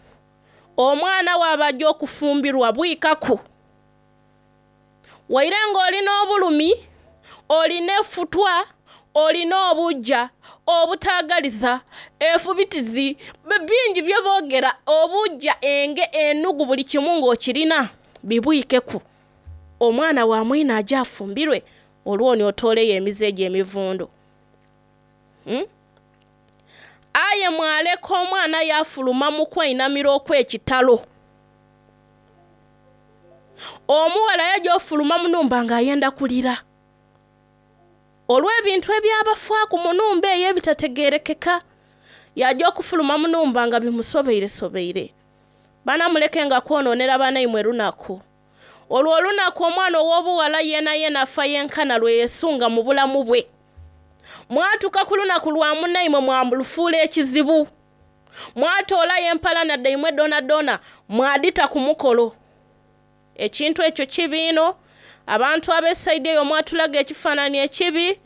Omwana waaba ajja okufumbirwa bwikaku. Waire ng'olina obulumi, olina effutwa, olina obujja, obutaagaliza, efubitizi, bingi bye boogera, obujja, enge, ennugu, buli kimu ng'okirina bibwikeku. Omwana wa mwine ajja afumbirwe, olwoni otooleyo emize egyo emivundu. Hmm? Aye mwaleka omwana yafuluma mu kweinamira okw'ekitalo. Omuwala yajja ofuluma mu nnumba ng'ayenda kulira olw'ebintu ebyabafaaku mu nnumba eyo ebitategeerekeka. Yajja okufuluma mu nnumba nga bimusobeiresobeire. Baana muleke nga kwonoonera banaimwe lunaku. Olwo olunaku omwana ow'obuwala yeena yeena afa yenkana lwe yeesunga mu bulamu bwe. Mwatuuka ku lunaku lwa munnaimwe mwamulufuula ekizibu. Mwatoolayo empalana dhaimwe dhoonadhoona mwadita ku mukolo. Ekintu ekyo kibi ino. Abantu ab'esaidi eyo mwatulaga ekifaananyi ekibi.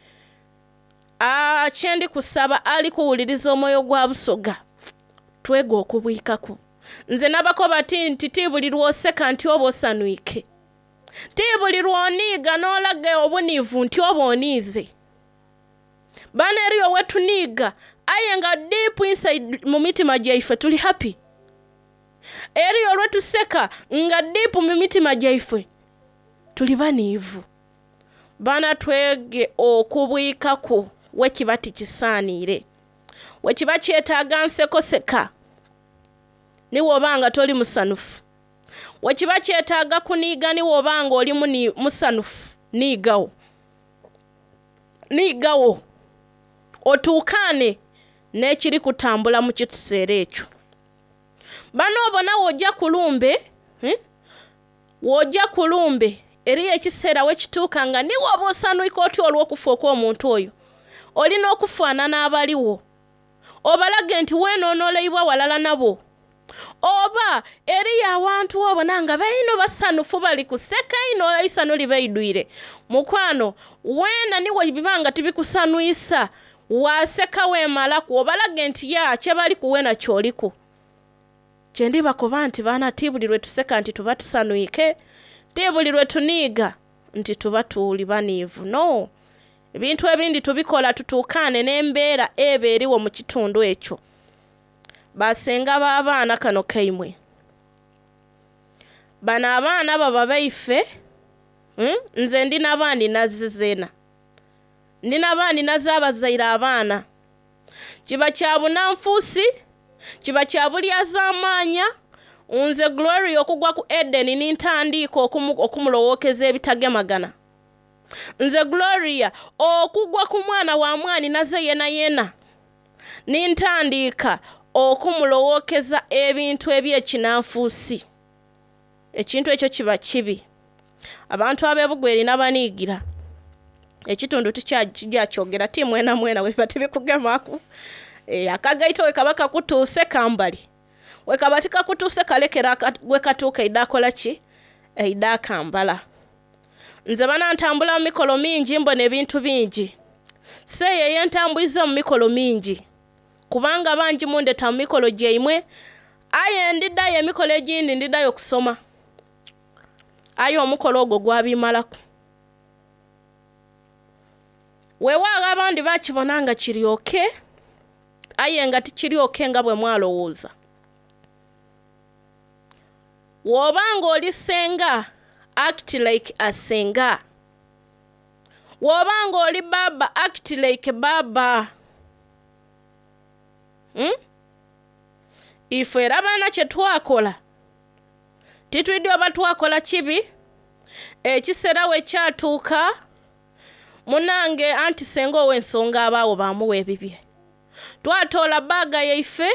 Kyendi kusaba ali kuwuliriza omwoyo gwa Busoga, twege okubwikaku. Nze nabakoba ti nti ti buli lw'oseka nti oba osanwike, ti buli lw'oniiga n'olaga obuniivu nti oba oniize. Bana eriyo wetuniiga aye nga deep inside mu mitima gyaife tuli happy. Eriyo lwetuseka nga deep mu mitima gyaife tuli baniivu. Bana twege okubwikaku wekiba tikisaaniire, wekiba kyetaaga nsekoseka niwe oba nga toli musanufu, wekiba kyetaaga kuniiga niwe oba nga oli musanufu, niigawo niigawo otuukaane n'ekiri kutambula mu kiseera ekyo. Bano obona wojja kulumbe eh? Wojja kulumbe eriyo ekiseera wekituuka nga niwe oba osanwika otya olw'okufa okw'omuntu oyo, olina okufaanana abaliwo obalage nti weenoonoleibwa walala nabo. Oba eriyo awantu obona nga baino basanufu bali kuseka ino eisanu libaidwire, mukwano weena niwe bibanga tibikusanwisa waseka weemalaku obalage nti ya kyebali kuweena kyoliku. Kyendibakoba nti baana ti buli lwe tuseka nti tuba tusanwike, ti buli lwe tuniiga nti tuba tuli baniivu. No, ebintu ebindi tubikola tutuukaane n'embeera eba eriwo mu kitundu ekyo. Basenga b'abaana kano kaimwe, bano abaana baba baife, hmm? Nze ndina baani nazizeena, ndina baani nazaabazaire abaana. Kiba kya bunanfuusi, kiba kya bulyazaamaanya nze Gloria okugwa ku Eden nintandiika okumulowookeza ebitagemagana. Nze Gloria okugwa ku mwana wa mwani naze yena yena nintandiika okumulowookeza ebintu ebyekinanfuusi. Ekintu ekyo kiba kibi. Abantu ab'ebugweri n'abaniigira ekitundu tikyakyogera ti mwena mwena webiba tibikugemaku. E, akagaito we kaba kakutuuse kambali, we kaba tikakutuuse kalekera gwe katuuka eidde akola ki, eidde akambala. Nze bana ntambula mu mikolo mingi, mbona ebintu bingi. Seeyo eyentambwiza mu mikolo mingi, kubanga bangi mundeta mu mikolo gyaimwe, aye ndiddayo emikolo egindi ndiddayo okusoma, aye omukolo ogwo gwabimalaku. Weewaawo abandi bakibona nga kiryoke, aye nga tikiryoke nga bwe mwalowooza. W'obanga oli senga, act like a senga. W'obanga oli baba, act like baba. Hmm? Ife era baana kye twakola titwidde oba twakola kibi. Ekiseera we kyatuuka munange anti senga ow'ensonga abaawo bamuwa ebibye, twatoola baaga yaife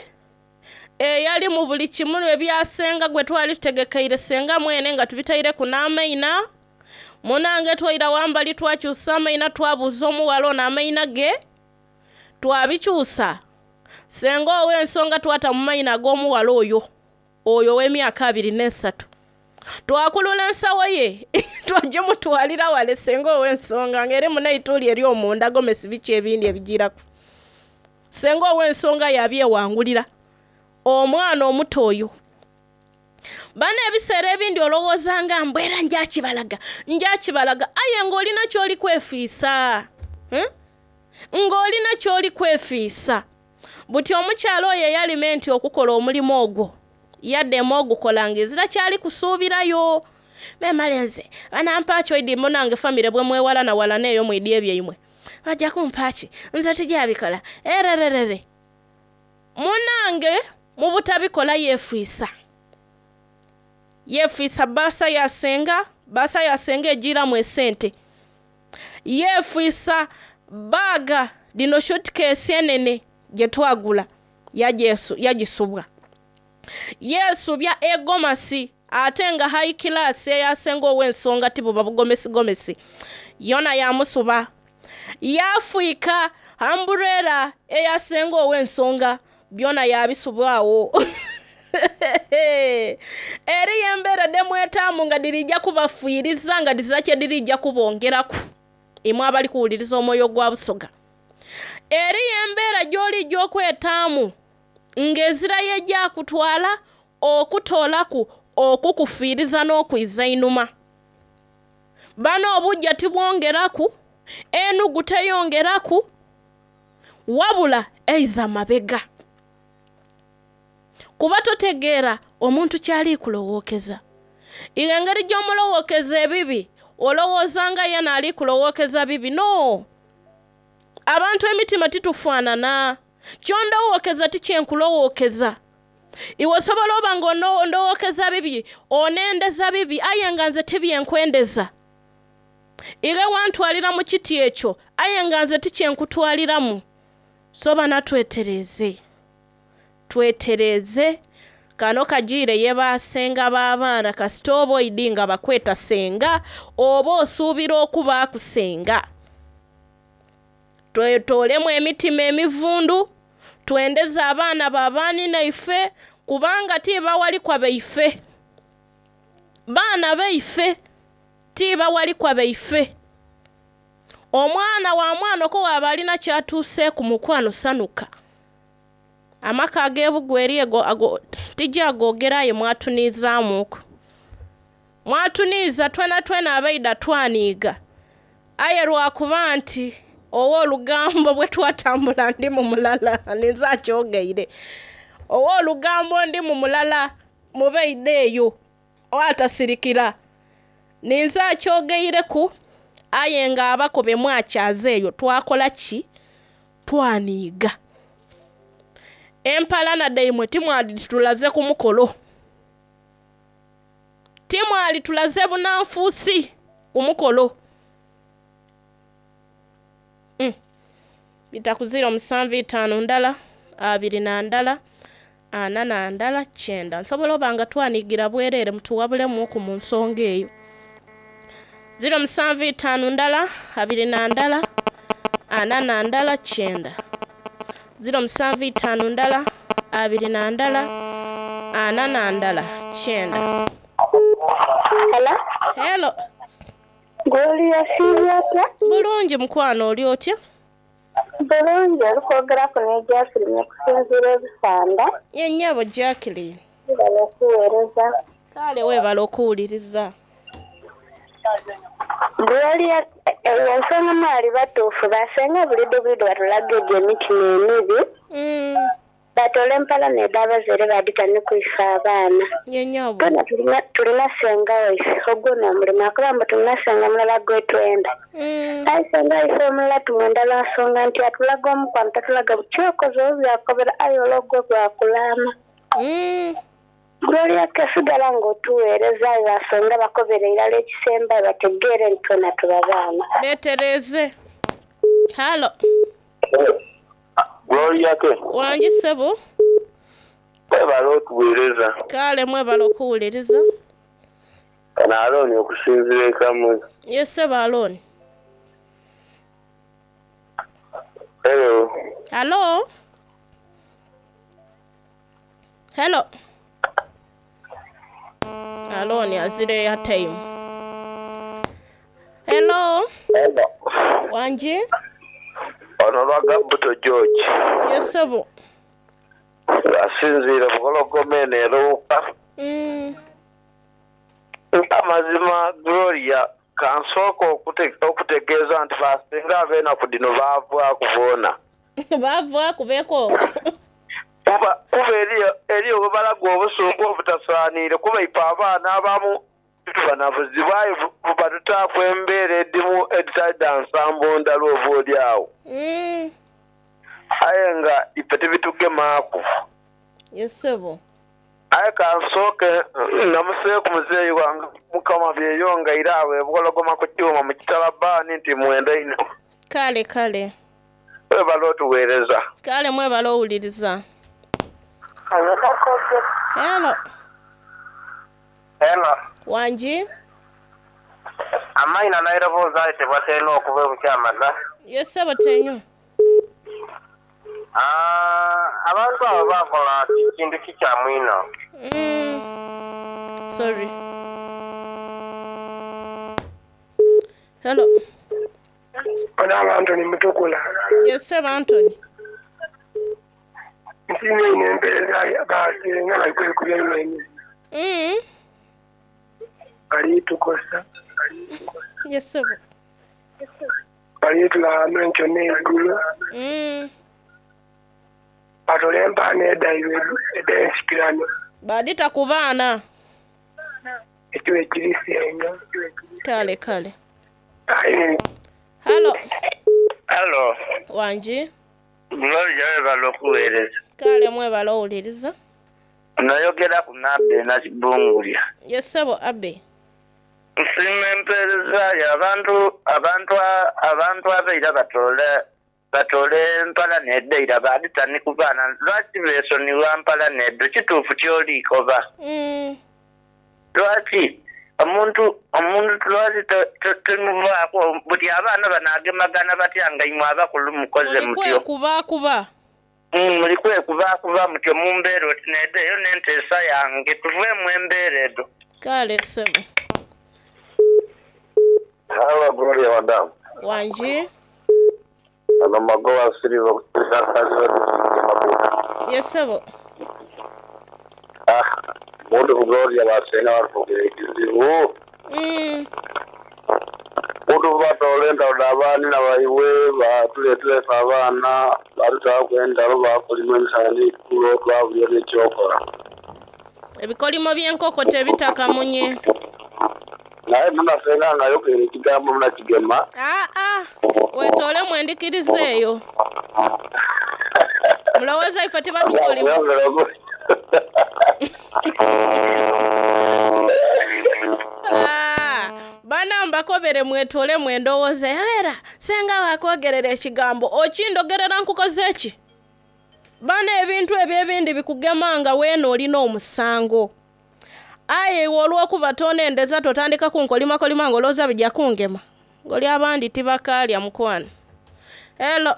eyali mu buli kimu ebyasenga gwe twali tutegekeire senga mwene nga tubitaireku n'amaina. Munange twaira wambali twakyusa amaina, twabuuza omuwala ono amaina ge twabikyusa. Senga ow'ensonga twata mu maina ag'omuwala oyo oyo ow'emyaka abiri n'esatu, twakulula ensawo ye twagimutwalira wale senga ow'ensonga ng'eri munaituuli eri omunda gomesi biki ebindi ebigiraku. Senga ow'ensonga yabyewangulira omwana omuto oyo. Bana ebiseera ebindi olowooza nga mbwera njakibalaga njakibalaga, aye ng'olina ky'oli kwefiisa, hmm? Ng'olina ky'oli kwefiisa. Buti omukyalo oyo eyalima nti okukola omulimu ogwo yaddemu ogukola ng'ezira kyali kusuubirayo. Memale nze banampaaki oidi munange famire bwe mwewalana walana eyo mwidi ebyaimwe bajja kumpaaki nze tijabikola erererere. Munange mu butabikola yeefiisa, yeefiisa baasa ya senga, baasa ya senga egiiramu esente, yeefiisa baaga dino suitcase enene gye twagula yagisubwa, yeesubya egomasi ate nga high class eyasenga ow'ensonga tibuba bugomesigomesi yona yamusuba, yafiika amburera eyasenga ow'ensonga byona yabisubwawo. Eriyo embeera demwetaamu nga dirijja kubafiiriza nga dizira kye dirijja kubongeraku imwe abali kuwuliriza omwoyo gwa Busoga. Eriyo embeera gy'olijja okwetaamu ng'ezira yejja kutwala okutoolaku okukufiiriza n'okwiza einuma. Bano obujja tibwongeraku, enugu teyongeraku, wabula eiza mabega. Kuba totegeera omuntu kyali kulowookeza. Iwe engeri gy'omulowookeza ebibi olowooza nga ye naali kulowookeza bibi. No, abantu emitima titufaanana. Kyondowookeza tikyenkulowookeza. Iwe osobola oba nga ondowookeza bibi, onendeza bibi, aye nga nze tibyenkwendeza. Iwe wantwalira mu kiti ekyo, aye nga nze tikyenkutwaliramu. So bana twetereeze, twetereeze. Kano kajiire ye basenga b'abaana kasita oba oidi nga bakweta senga oba osuubira okubaaku senga. Twetoolemu emitima emivundu, twendeze abaana b'abaani naife kubanga tibawalikwa baife. Baana baife tibawalikwa baife. Omwana wa mwana ko waba alina kyatuuseeku mukwano sanuka. Amaka ag'ebugwa eri ego ago tijja agoogerayo mwatuniizaamuuku. Mwatuniiza twena twena abaida twaniiga. Aye lwakuba nti ow'olugambo bwe twatambula ndi mu mulala ninze akyogeire. Ow'olugambo ndi mu mulala mubaida eyo atasirikira. Ninze akyogeireku aye nga abako be mwakyaza eyo twakola ki? Twaniiga. Empalana dhaimwe timwalitulaze ku mukolo. Timwalitulaze bunanfuusi ku mukolo. Mm. Bita ku ziro musanvu itaano ndala, abiri na ndala, ana na ndala, kyenda. Nsobola oba nga twaniigira bwereere mutuwabulemuuku mu nsonga eyo. Ziro musanvu itaano ndala, abiri na ndala, ana na ndala, kyenda. Ziro musanvu itaano ndala, abiri na ndala, ana na ndala, kyenda. Hello? Hello. Gloria Sylvia. Bulungi mukwano oli otya? Bulungi oli kwogerako ne Jacqueline okusinziira ebisanda. Ye nnyabo Jacqueline. Webale okuweereza. Kale weebale okuwuliriza. Gloria, eyo ensonga mwali batuufu basenga bulidde bulidde batulaga egyo emitima emibi. Mm. Batole empalana ed'abazaire badita ne kwifa abaana. Ye nnyabo. Twena tulina tulina senga waife ogwo n'omulimu akuba mbu tulina senga mulala gwetwenda. Mm. Aye senga waife omulala tumwenda lwa nsonga nti atulaga omukwano tatulaga kyokoze obubi akobera aye olwogwe gwakulaama. Mm. Gloria kesigala ng'otuweereza aye basonga bakobera irala ekisembayo bategeere nti twena tuba baana. Beetereeze. Halo. Gloria ke Wangi ssebo. webale otuweereza. Kale mwebale okuwuliriza. Kano Alooni okusinziira e Kamuli. Ye ssebo Alooni. Hello. Hello. Hello. Alooni azira airtime. Hello. Hello. Wangi. Ono Lwagabuto George. Ye ssebo. Asinziira Bukologoma eno eruuka. Mm. Amazima Gloria kansooka okute- okutegeeza nti basinga ab'enaku dino baavaaku boona. Baavaaku beeko. Kuba kuba eriyo eriyo bwe balaga obusungu obutasaaniire kuba ife abaana abamu tuba na buzibu aye buba tutaaku embeera edimu editali dda nsambo ndala oba oli awo. Mm. Aye nga ife tibitugemaaku. Ye ssebo. Aye kansooke namuseeku muzeeyi wange Mukama byeyongaire awo ebukologoma ku kyuma mu kitalabaani nti mwenda ino. Kale kale. Webale otuweereza. Kale mwebale owuliriza. Hello. Hello. Wangi. Amaina nairobooza ayitibwa Tenwa okuva e Bukyamaza. Ye ssebo Tenwa. Ah, abantu abo bakola kintu kikyamu ino. Mm. Sorry. Hello. Ono Anthony Mutukula. Ye ssebo Anthony. Nsiimye ino empeereza basenga bali kwekubya ino emizi. Mm. Balitukosa, Ye ssebo. balitulaama enkyo n'eggulo. Mm. Batole empaana edaibwe ed'ensikirano. Badita ku baana. Ekyo ekiri senga. Kale kale. Aye Hello. Hello. Wangi. Gloria webale okuweereza. Kale mwebale owuliriza. Nayogera ku Nabbe Nakibungulya. Ye ssebo Abe. Nsiima empeereza yo abantu abantu abantu abeira batoole Batole empalana edeira badita ku baana lwaki beesoniwa mpalana edo kituufu kyoliikoba Mm. lwaki omuntu omuntu lwaki temuvaako buti abaana banagemagana batya nga imwe abakulu mukoze mutyo Kwekubakuba. Mm, muli kwekubakuba mutyo mumbeera oti nede eyo nenteesa yange tuveemu embeera edo Kale sebo. Hawa Gloria wadamu. Wanji. Ano magowa siriva Yes sebo. Ah, mundu ku Gloria basenga batugire ekizibu. Mm. Mundu batoola entalo d'abaani nabaiwe batuleetera ife abaana batutaaku entalo bakulima emisana n'ekikulo twabulya n'ekyokola. Ebikolimo by'enkoko tebitaka munye. Naye munasenga nga yogera ekigambo munakigema. Ah ah. Wetoole mwendikiriza eyo. Mulowooza ife tebatukolima. Ah, bana mbakobere mwetole mwendowooza era senga wakwogerera ekigambo okindogerera nkukoze ki bana ebintu ebyo ebindi bikugema nga weena olina omusango aye iwe olw'okuba tonendeza totandika kunkolimakolima ng'olowooza bijja kungema ng'oli abandi tibakaalya mukwano elo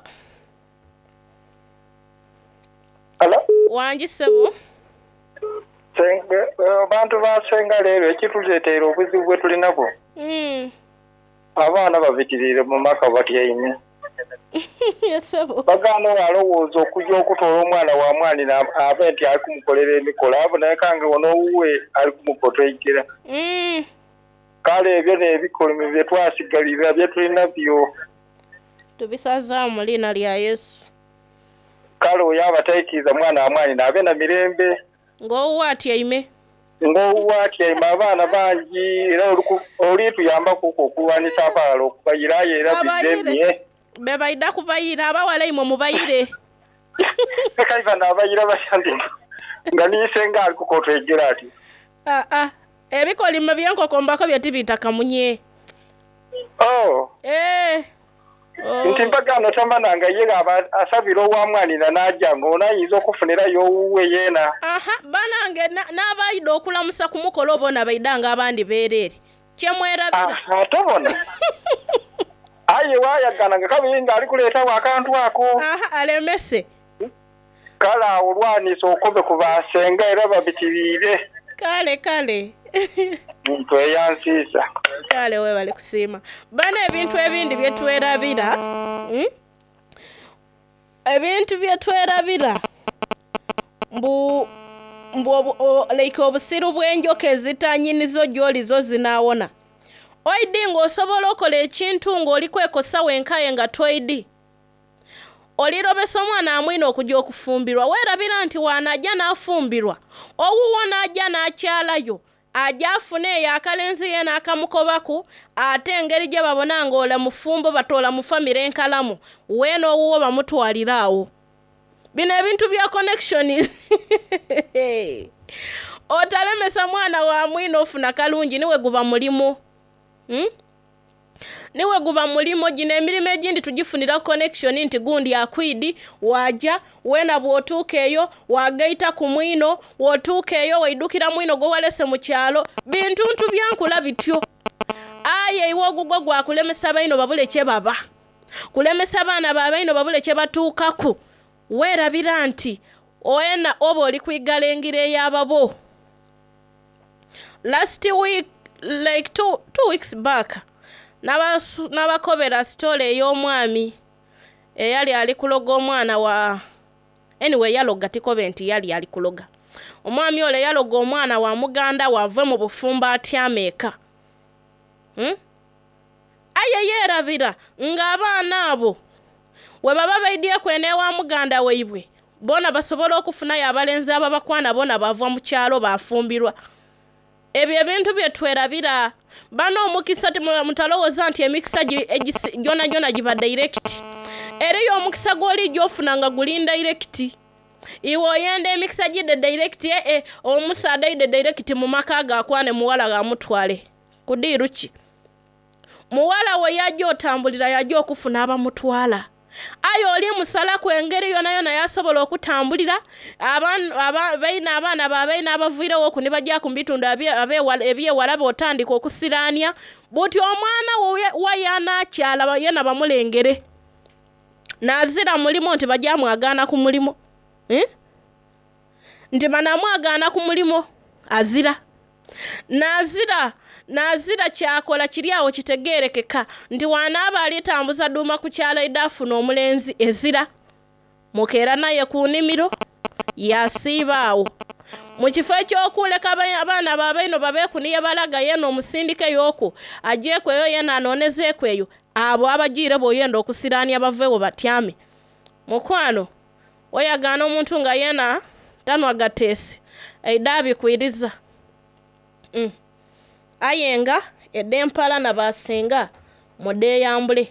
wangi ssebo Senga- abantu basenga leero ekituleetera obuzibu bwe tulinabwo Mm. abaana babitiriire mu maka batyaine Yes, ssebo bagaana oyo alowooza okujja okutoola omwana wa mwanina abe nti ali kumukolera emikolo abo naye kange ono owuwe ali kumukotoikira Mm. kale ebyo n'ebikolimo bye twasigalira bye tulina byo tubisazaamu mu liina lya yesu kale oyo aba taikiriza mwana wa mwanina abe na mirembe ng'owuwe atyaime ng'owuwe atyaime abaana bangi era oluku- olituyambakuku okulwanisa abalala okubayira aye era Abayire. bizemye be baida kubayira abawala imwe mubayire kale bano abayira batya nti nga niisenga ali kukotwejera ati Ah, ah. ebikolimo by'enkoko mbako bye tibiyita kamunye oh Eh. Oh. nti mpagaano tamananga ye aba asabira owa mwanina n'ajja ng'ono ayinza okufunirayo owuwe yeena aha banange na- n'abayida okulamusa ku mukolo bona baidanga abandi beereere kyemwerabira Aha, tobona aye waayagana nga kabiri ng'ali kuleetawo akantu ako aha alemese kale awo olwanisa okobe ku basenga era babitiriire kale kale tweyansiisa kale webale kusiima bana ebintu ebindi byetwerabira mm? ebintu byetwerabira mbu mbu obu- o- like obusiru bw'enjoka ezitanyinizo gy'oli zo zinaawona oidi ng'osobola okola ekintu ng'oli kwekosa wenkaye nga toidi olirobesa omwana amwine okujja okufumbirwa weerabira nti waanajja n'afumbirwa owuwo n'ajja n'akyalayo ajja afune eyo akalenzi ye n'akamukobaku ate engeri gye babona ng'ola mufumbo batoola mu famire enkalamu weena owuwo bamutwalira awo bino ebintu bya connection otalemesa mwana wa mwine ofuna kalungi niwe guba mulimu hmm? niwe guba mulimo gino emirimu egindi tugifunira connection nti gundi akwidi waja weena bw'otuuka eyo wagaita ku mwino w'otuuka eyo weidukira mwino gwe walese mu kyalo bintuntu byankula bityo aye iwe ogugwo gwakulemesa baino babule kye baba kulemesa baana ba baino babule kye batuukaku weerabira nti oena oba oli kwigala engira ey'ababo last week like two, two weeks back nabasu- nabakobera sitole ey'omwami eyali ali kuloga omwana wa anyway yaloga tikobe nti yali ali kuloga omwami ole yaloga omwana wa muganda wave mu bufumbo atyama eka hmm? aye yeerabira ng'abaana abo we baba baidyeku eneewa muganda waibwe bona basobole okufunayo abalenzi ababakwana bona bava mu kyalo bafumbirwa ebyo ebintu bye twerabira bano omukisa timu- mutalowooza nti emikisa gi- egisi- gyona gyona giba direct eriyo omukisa gw'oli gy'ofuna nga guli indirect iwe oyenda emikisa gidde direct ee omusaadha aidde direct mu maka gakwane muwala gamutwale kudiiru ki muwala we yajja otambulira yajja okufuna abamutwala Aye oli musalaku engeri yona yona yasobola okutambulira baina abaana babaina abaviirewo ku ne bajja ku bitundu ebyewala b'otandika okusiraania buti omwana wayanakyala yena bamulengere nazira mulimo nti bajja mwagaana ku mulimo eh? Nti banamwagaana ku mulimo azira nazira nazira kyakola kiri awo kitegeerekeka nti wanaaba alitambuza dduuma ku kyalo idafuna omulenzi ezira mukeera naye ku nnimiro yasiiba awo mu kifo ekyokuleka abaana babaino babeeku niye balaga yena omusindike yokwo ajeeku eyo yena anoonezeeku eyo abo abagiire bw'oyenda okusiraania baveewo batyame. Mukwano oyagaana omuntu nga yena tanwa gateesi eida abikwiriza. Mm. Aye nga edempala basenga mudeyambule.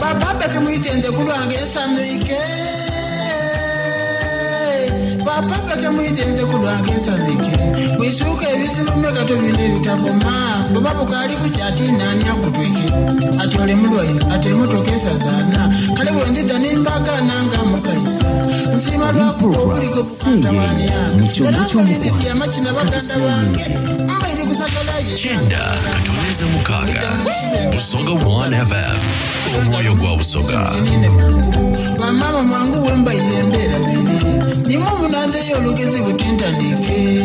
Baba beke mwitende kulwange esanduike Papa beke mwitende kulwange esanduike Wisuka ebizibu mmeka tobina ebitakoma Bweba bukaali kukyati nani akutwike Ati ole mulwaire ate emotoka esazaana Kale bwe ndidda nembagaana nga mukaisa Nsiima lwakuba obuliko bukantawaanya Mu kyombo Era nga ky'omukwano nzidya amakina baganda bange Mbaire kusagalayo Kyenda katoneza mukaaga Busoga one F M omwoyo gwa Busoga. Bamama mwangu wembaire embeera biri Nimwe munanzeyo olugezi butintandike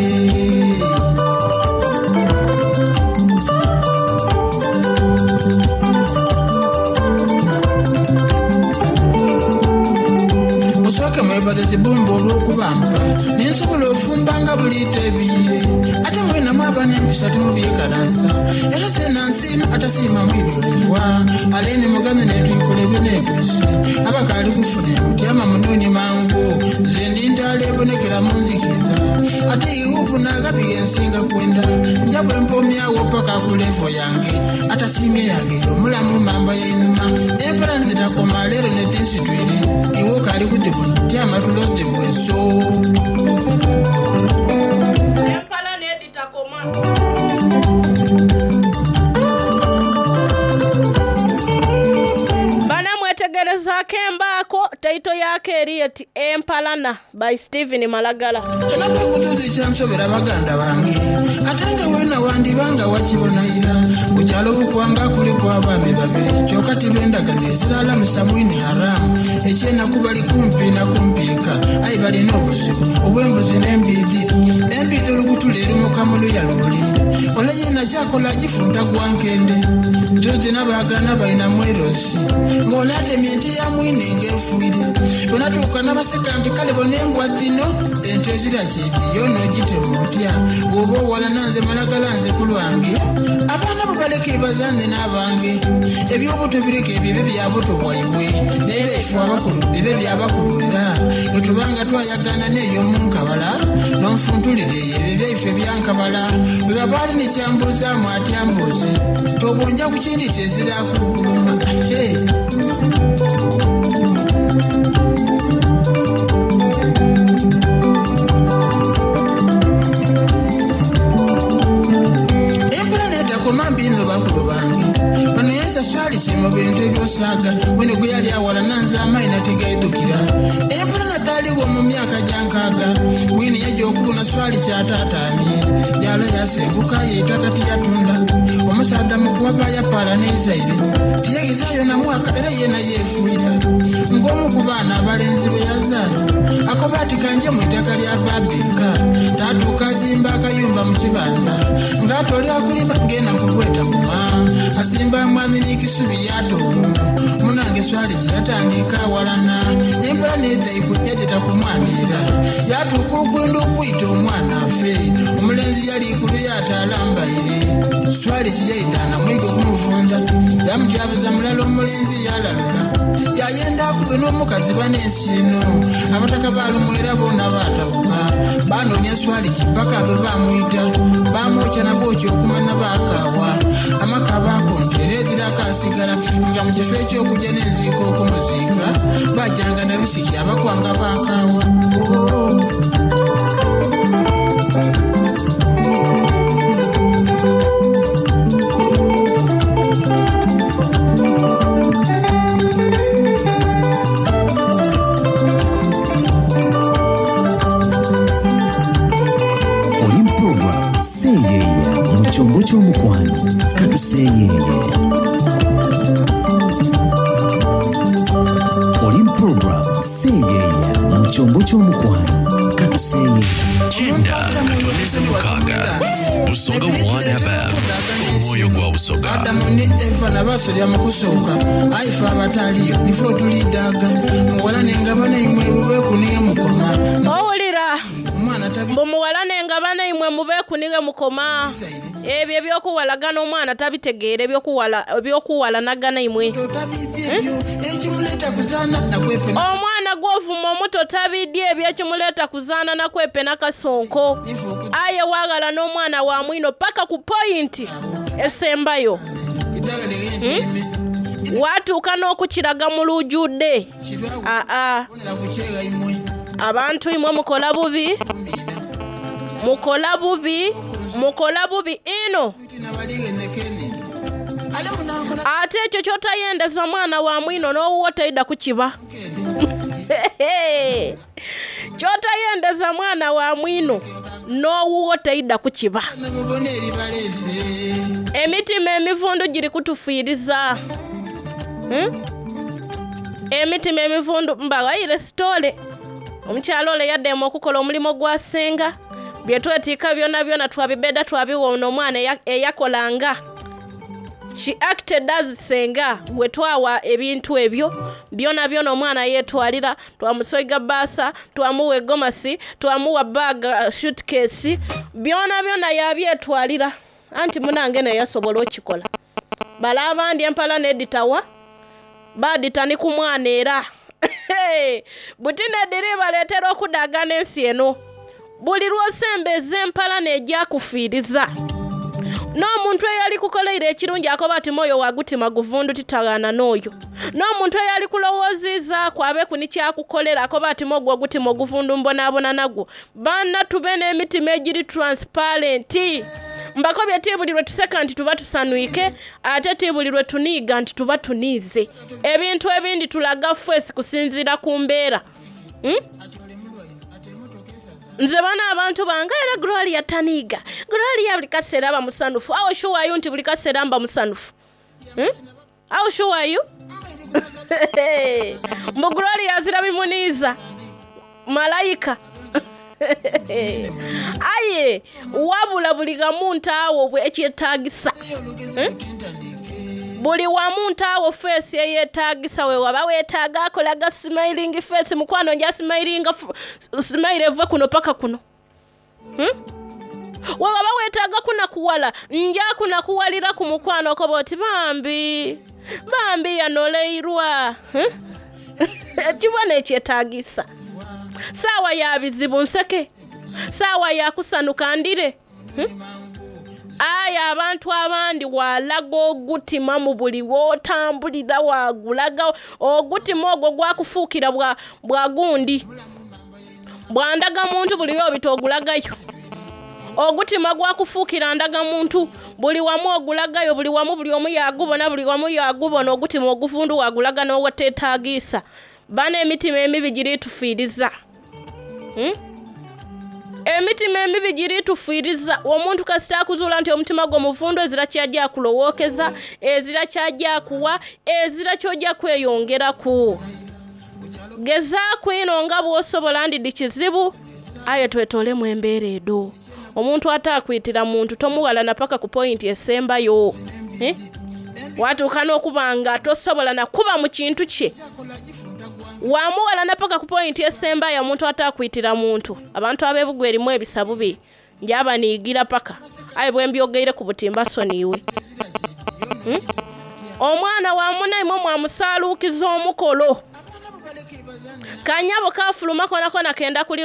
Musooke mwebaze zibumba olw'okubampa Nensobola ofumba nga buliita ebiyire Ate mwena mwaba n'empisa temubyekalansa Era sena nsiima atasiima mwibulivwa Alene muganzi netwikulebye netwise Abakaali kufuna emutyama munoonye mangu Nze ndi ntaala ebonekera mu nzikiza Ate iwupu n'agabiga ensinga kwenda Nja bwe mpomyawo paka ku levo yange Atasiimye yange omulamu mamba y'enuma Empala nzitakoma leero netinsitwire Iwe okaali kudibuna tyama tulodde bweso Empala neditakoma. Bana mwetegerezaako embaako taito yako eri eti Empalana by Steven Malagala. Kyenakutuzi kyansobera baganda bange ate nga weena wandibanga wakibonayira ku kyalo bukwanga kuliko abaami babiri kyokka tibendagana ezirala musamwini haramu ekyenaku bali kumpi na kumpiika ayi balina obuzibu obw'embuzi n'embiidi embiidi olugutula erumuka mu luya luli ole yeena kyakola agifunta gwa nkende njozi n'abaagaana balina mwerosi ng'onaatemya ente ya mwine ng'efuire bwe natuuka n'abaseka nti kale bona embwa zino ente ezira kyedi yo n'ogitema otya bw'oba owalana nze malagala nze ku lwange abaana bo baleka ebazanze n'abange ebyobuto bireka ebyo ebyo byabuto bwaibwe naye beefu abakulu bibe byabakululira etubanga twayagana n'eyo munkabala n'onfuntulira eyo ebyo byaife byankabala bwe babaali nekyambuuzaamu atyambuuzi tobonja ku kindi kyezirakukuluma. Empala netakoma mbinzo bakulu bange bano yensa swalisi mu bintu ebyosaaga wene gwe yali awalana nze amayi nategaidukira empala nataaliwo mu myaka gya nkaaga mwini yajja okubuna swali kyataataamye yala yasenguka yeitaka tiyatunda omusaadha mukuwaba yapaala n'ezaire tiyagezaayo na mwaka era yena yeefuira ng'omu ku baana abalenzi be yazaala akoba ati kanje mu ttaka lya baabika taatuuka azimba akayumba mu kibanja ng'atolera kulima ng'ena kukweta kuma asimba mwanyi n'ekisubi yaata omwo munange swali kyeyatandika awalana empala n'ezaibwe yagita kumwanira yatuuka okwenda okwita omwana afe omulenzi yali ikulu yaata alambaire swali kiyayitaana mwiga okumufunza yamutyabuza mulala omulenzi yalalula yayenda akube n'omukazi ban'ensi eno abataka balumwera boona baatabuka banoonya swali kipaka be bamuyita bamwokya nabwokya okumanya baakaawa amaka baako n'asigala nga mu kifo eky'okujja n'enziika okumuziika bajjanga na bisiki abakwanga baakaawa. Oh. Oli mu program Seeyeeya mu kyombo ky'omukwano katuseeyeeye. Oli mu program Seeyeeya mu kyombo ky'omukwano katuseeyeeye. Kyenda katoneze mukaaga Busoga one F M omwoyo gwa Busoga. Adamu ne Eva nabasolya mu kusooka ayife abataliyo nife otulidaaga muwala nengabana imwe bubeeku niye mukoma. Owulira Omwana tabi- mbu muwala nengabana imwe mubeeku niwe mukoma. Ebyo ebyokuwalagana omwana tabitegeera, ebyokuwala, ebyokuwalanagana imwe. Ebyo ekimuleeta kuzaana nakwepena. Omwana gw'ovuma omuto tabidye ebyo ekimuleeta kuzaana nakwepena kasonko. Aye waagala n'omwana wa mwino paka ku pointi esembayo. Hmm? Watuuka n'okukiraga mu lujjudde. Aa. Abantu imwe mukola bubi. Mukola bubi. Mukola bubi ino. Ate ekyo ky'otayendeza mwana wa mwino n'owuwo tayida kukiba. Ky'otayendeza mwana wa mwino n'owuwo tayida kukiba. Emitima emivundu giri kutufiiriza. Hmm? Emitima emivundu mbawaire sitole. Omukyalo ole yaddemu okukola omulimu gwa ssenga. Bye twetiika byonna byonna twabibeda twabiwona omwana eya-, eyakolanga. She acted as ssenga gwe twawa ebintu ebyo byonna byonna omwana yeetwalira. Twamusoiga bbaasa, twamuwa egomasi, twamuwa bag suitcase, byonna byonna yabyetwalira. Anti munange naye yasobola okikola. Bala abandi empala n'editawa baadita ni ku mwana era. Buti n'ediri baleetera okudaagana ensi eno. Buli lw'osembeza empala n'egyakufiiriza. N'omuntu eyali kukoleire ekirungi akoba ati mwoyo wa gutima guvundu titagaana n'oyo. N'omuntu eyali kulowoozizaako abe ku ni kyakukolera akoba ati mwogo ogutima oguvundu mbonaabona nagwo. Baana tube n'emitima egiri transparent. Mbakobye ti buli lwe tuseka nti tuba tusanwike, ate ti buli lwe tuniiga nti tuba tuniize. Ebintu ebindi tulaga ffesi kusinziira ku mbeera. Hmm? Nze bana abantu bange era Gloria taniiga. Gloria buli kaseera aba musanufu. Awo sure you nti buli kaseera mba musanufu. Hmm? Awo sure you? Mbu Gloria azira bimuniiza. Malayika. Aye, wabula buli gamuntu awo bwe ekyetaagisa. Hmm? Buli wamuntu awo face eyeetaagisa we waba weetaaga akolaga smiling face, mukwano nja smiling f-, smile eve kuno paka kuno. Hmm? We waba weetaaga kunakuwala, nja kunakuwalira ku mukwano okoba oti bambi, bambi yanoleirwa. Hmm? Ekibona ekyetaagisa. Saawa ya bizibu nseke, saawa ya kusanuka ndire. Hmm? Aye abantu abandi walaga ogutima mu buli w'otambulira wagulaga ogutima ogwo gwakufuukira bwa, bwa gundi. Bwandagamuntu buli obita ogulagayo. Ogutima gwakufuukira ndagamuntu buli wamu ogulagayo, buli wamu buli omu yagubona, buli wamu yagubona ogutima oguvundu wagulaga n'owateetaagisa. Bana emitima emibi giritufiiriza. Hmm? Emitima emibi giritufiiriza. Omuntu kasita akuzuula nti omutima gwo muvundu, ezira kyajja akulowookeza, ezira kyajja akuwa, ezira ky'ojja kweyongeraku. Gezaako eno nga bw'osobola ndidi kizibu, aye twetoolemu embeera edo. Omuntu ataakwitira muntu tomuwalana paka ku pointi esembayo. Eh? Watuuka n'okuba nga tosobola na kuba mu kintu kye. Wamuwalana paka ku pointi esembayo omuntu ataakwitira muntu. Abantu ab'ebugwa erimu ebisa bubi. Njabaniigira paka. Aye bwe mbyogeire ku butimba soniiwe. Hmm? Omwana wa munnaimwe mwamusaaluukiza omukolo. Kanyabo kafuluma kona kona kenda kulira